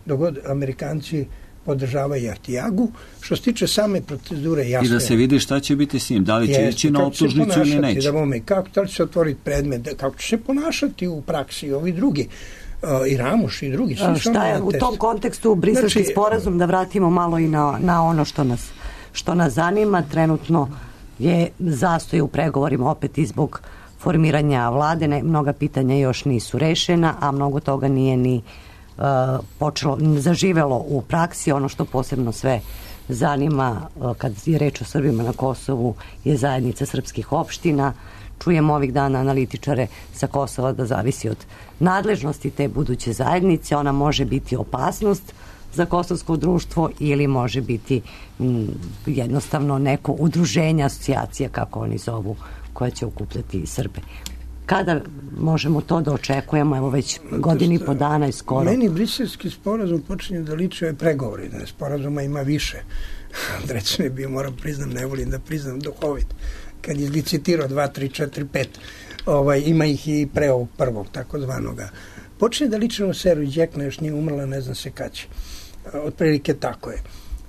Dogod Amerikanci podržavaju Ahtijagu. Što se tiče same procedure, jasno. I da se vidi šta će biti s njim, da li će Jeste, ići na optužnicu ili neće. Da vome, kako, da li će se otvoriti predmet, kako će se ponašati u praksi ovi drugi, uh, i Ramuš i drugi. A, šta je u tom kontekstu briselski znači, sporazum, da vratimo malo i na, na ono što nas, što nas zanima. Trenutno je zastoj u pregovorima opet i zbog formiranja vlade. Ne, mnoga pitanja još nisu rešena, a mnogo toga nije ni Uh, počelo, zaživelo u praksi. Ono što posebno sve zanima uh, kad je reč o Srbima na Kosovu je zajednica srpskih opština. Čujemo ovih dana analitičare sa Kosova da zavisi od nadležnosti te buduće zajednice. Ona može biti opasnost za kosovsko društvo ili može biti m, jednostavno neko udruženje, asocijacija, kako oni zovu, koja će okupljati Srbe. Kada možemo to da očekujemo, evo već godini i po dana i skoro? Meni briselski sporazum počinje da liči ove pregovori, da sporazuma ima više. Recimo je bio, moram priznam, ne volim da priznam, duhovit. Kad je licitirao dva, tri, četiri, pet, ovaj, ima ih i pre ovog prvog, takozvanoga. Počinje da liči na Seru Đekna, još nije umrla, ne znam se kad će. Otprilike tako je.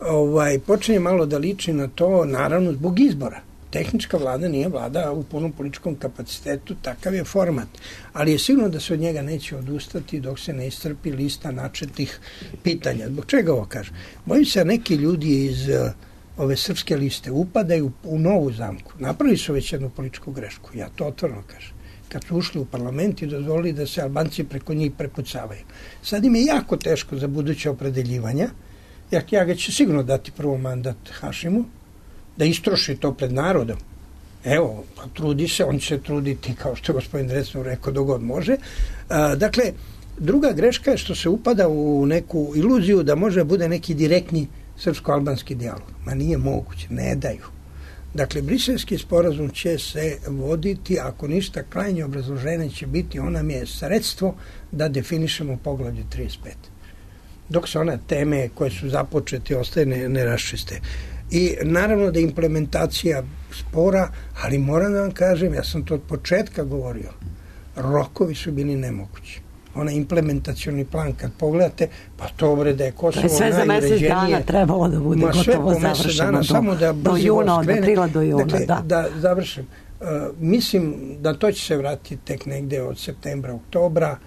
Ovaj, počinje malo da liči na to, naravno, zbog izbora. Tehnička vlada nije vlada u punom političkom kapacitetu, takav je format. Ali je sigurno da se od njega neće odustati dok se ne iscrpi lista načetih pitanja. Zbog čega ovo kažem? Bojim se da neki ljudi iz uh, ove srpske liste upadaju u novu zamku. Napravili su već jednu političku grešku. Ja to otvoreno kažem. Kad su ušli u parlament i dozvolili da se Albanci preko njih prepucavaju. Sad im je jako teško za buduće opredeljivanja. Ja, ja ga ću sigurno dati prvo mandat Hašimu, da istroši to pred narodom. Evo, pa trudi se, on će se truditi, kao što je gospodin Drecun rekao, dogod može. A, dakle, druga greška je što se upada u neku iluziju da može bude neki direktni srpsko-albanski dijalog. Ma nije moguće, ne daju. Dakle, briselski sporazum će se voditi, ako ništa, krajnje obrazloženje će biti, ona mi je sredstvo da definišemo poglavlje trideset pet. Dok se one teme koje su započete ostaje ne, ne raščiste. I naravno da je implementacija spora, ali moram da vam kažem, ja sam to od početka govorio, rokovi su bili nemogući. Onaj implementacioni plan, kad pogledate, pa to bre da je Kosovo najuređenije. Sve za mesec dana trebalo da bude ma, gotovo završeno. Dana, do, samo da do juna, od aprila do juna. Dakle, da. da završim. Uh, mislim da to će se vratiti tek negde od septembra, oktobra,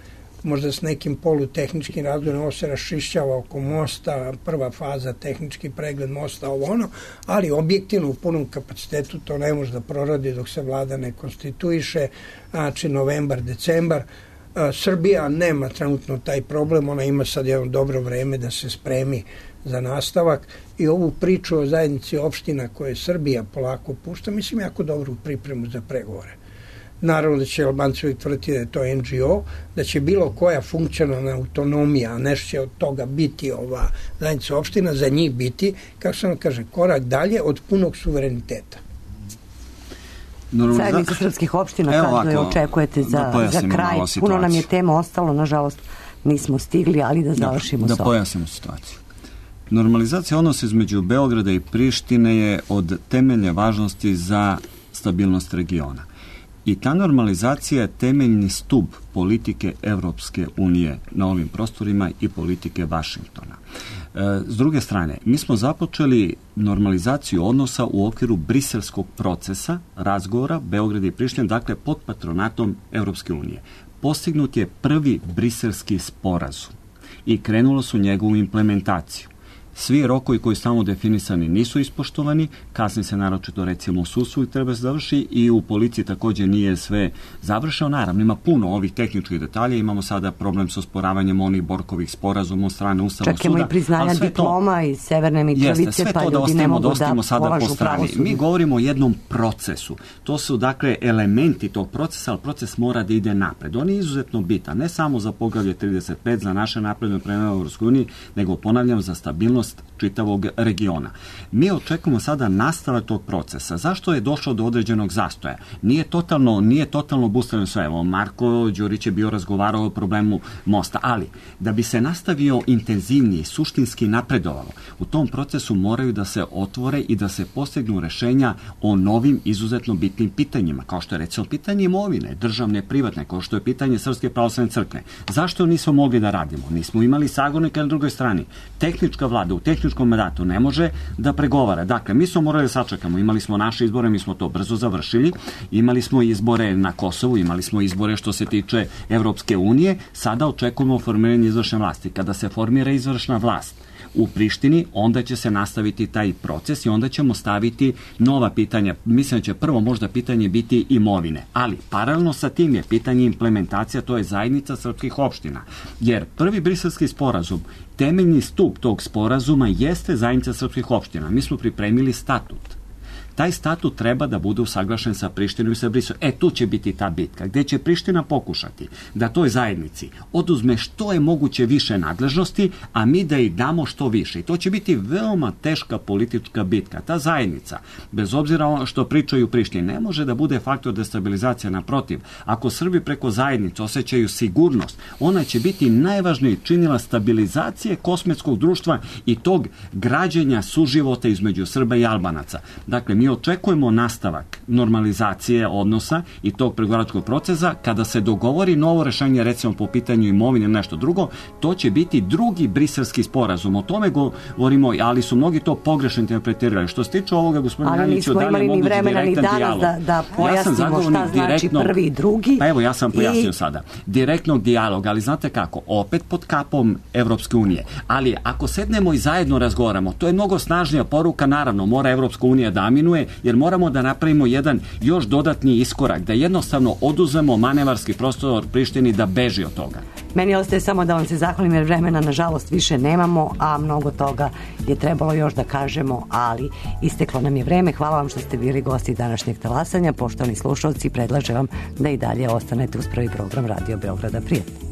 možda s nekim polutehničkim razvojem, ovo se raščišćava oko mosta, prva faza, tehnički pregled mosta, ovo ono, ali objektivno u punom kapacitetu to ne može da proradi dok se vlada ne konstituiše, znači novembar, decembar. A, Srbija nema trenutno taj problem, ona ima sad jedno dobro vreme da se spremi za nastavak i ovu priču o zajednici opština koje Srbija polako pušta, mislim jako dobru pripremu za pregovore. Naravno da će Albanci uvijek tvrditi da je to en dži o, da će bilo koja funkcionalna autonomija, a nešto će od toga biti ova zajednica opština, za njih biti, kako se ono kaže, korak dalje od punog suvereniteta. Zajednica srpskih opština, kada je očekujete za, da za kraj? Puno nam je tema ostalo, nažalost nismo stigli, ali da završimo da, s da pojasnimo situaciju. Normalizacija odnosa između Beograda i Prištine je od temeljne važnosti za stabilnost regiona. I ta normalizacija je temeljni stub politike Evropske unije na ovim prostorima i politike Vašingtona. S druge strane, mi smo započeli normalizaciju odnosa u okviru briselskog procesa, razgovora Beograda i Prištine, dakle pod patronatom Evropske unije. Postignut je prvi briselski sporazum i krenulo su njegovu implementaciju. Svi rokovi koji su tamo definisani nisu ispoštovani, kasnije se naročito recimo u sudstvu i treba se završi i u policiji također nije sve završeno. Naravno, ima puno ovih tehničkih detalja, imamo sada problem sa osporavanjem onih Borkovih sporazuma od strane Ustavnog suda. Čekamo i priznanja diploma iz Severne Mitrovice, pa ljudi ne mogu da polažu pravosuđe. Mi govorimo o jednom procesu. To su dakle elementi tog procesa, ali proces mora da ide napred. On je izuzetno bitan, ne samo za poglavlje trideset pet, za naše napredne prema Evropskoj uniji, nego ponavljam za stabilnost čitavog regiona. Mi očekujemo sada nastavak tog procesa. Zašto je došlo do određenog zastoja? Nije totalno, nije totalno obustavljeno sve. Evo, Marko Đurić je bio razgovarao o problemu mosta, ali da bi se nastavio intenzivnije, suštinski napredovalo, u tom procesu moraju da se otvore i da se postignu rešenja o novim izuzetno bitnim pitanjima, kao što je recimo pitanje imovine, državne, privatne, kao što je pitanje Srpske pravoslavne crkve. Zašto nismo mogli da radimo? Nismo imali sagovornika na drugoj strani. Tehnička vlada u tehničkom mandatu ne može da pregovara. Dakle, mi smo morali da sačekamo. Imali smo naše izbore, mi smo to brzo završili. Imali smo izbore na Kosovu, imali smo izbore što se tiče Evropske unije. Sada očekujemo formiranje izvršne vlasti. Kada se formira izvršna vlast u Prištini, onda će se nastaviti taj proces i onda ćemo staviti nova pitanja. Mislim da će prvo možda pitanje biti imovine, ali paralelno sa tim je pitanje implementacija, to je zajednica srpskih opština. Jer prvi briselski sporazum, temeljni stup tog sporazuma jeste zajednica srpskih opština. Mi smo pripremili statut. Taj statut treba da bude usaglašen sa Prištinom i sa Briselom. E, tu će biti ta bitka, gde će Priština pokušati da toj zajednici oduzme što je moguće više nadležnosti, a mi da ih damo što više. I to će biti veoma teška politička bitka. Ta zajednica, bez obzira što pričaju Prištini, ne može da bude faktor destabilizacije. Naprotiv, ako Srbi preko zajednice osjećaju sigurnost, ona će biti najvažniji činila stabilizacije kosmetskog društva i tog građenja suživota između Srba i Albanaca. Dakle, mi očekujemo nastavak normalizacije odnosa i tog pregovaračkog procesa. Kada se dogovori novo rešenje, recimo po pitanju imovine ili nešto drugo, to će biti drugi briselski sporazum. O tome govorimo, ali su mnogi to pogrešno interpretirali. Što se tiče ovoga, gospodine Janjiću, da li je moguć direktan dijalog? Da, da pojasnimo ja šta znači prvi i drugi. Pa evo, ja sam pojasnio i... sada. Direktnog dijaloga, ali znate kako? Opet pod kapom Evropske unije. Ali ako sednemo i zajedno razgovaramo, to je mnogo snažnija poruka, naravno, mora Evropska unija da aminuje, jer moramo da napravimo jedan još dodatni iskorak, da jednostavno oduzemo manevarski prostor Prištini da beži od toga. Meni ostaje samo da vam se zahvalim, jer vremena nažalost više nemamo, a mnogo toga je trebalo još da kažemo, ali isteklo nam je vreme. Hvala vam što ste bili gosti današnjeg talasanja. Poštovani slušalci, predlažem vam da i dalje ostanete uz prvi program Radio Beograda. Prijatno.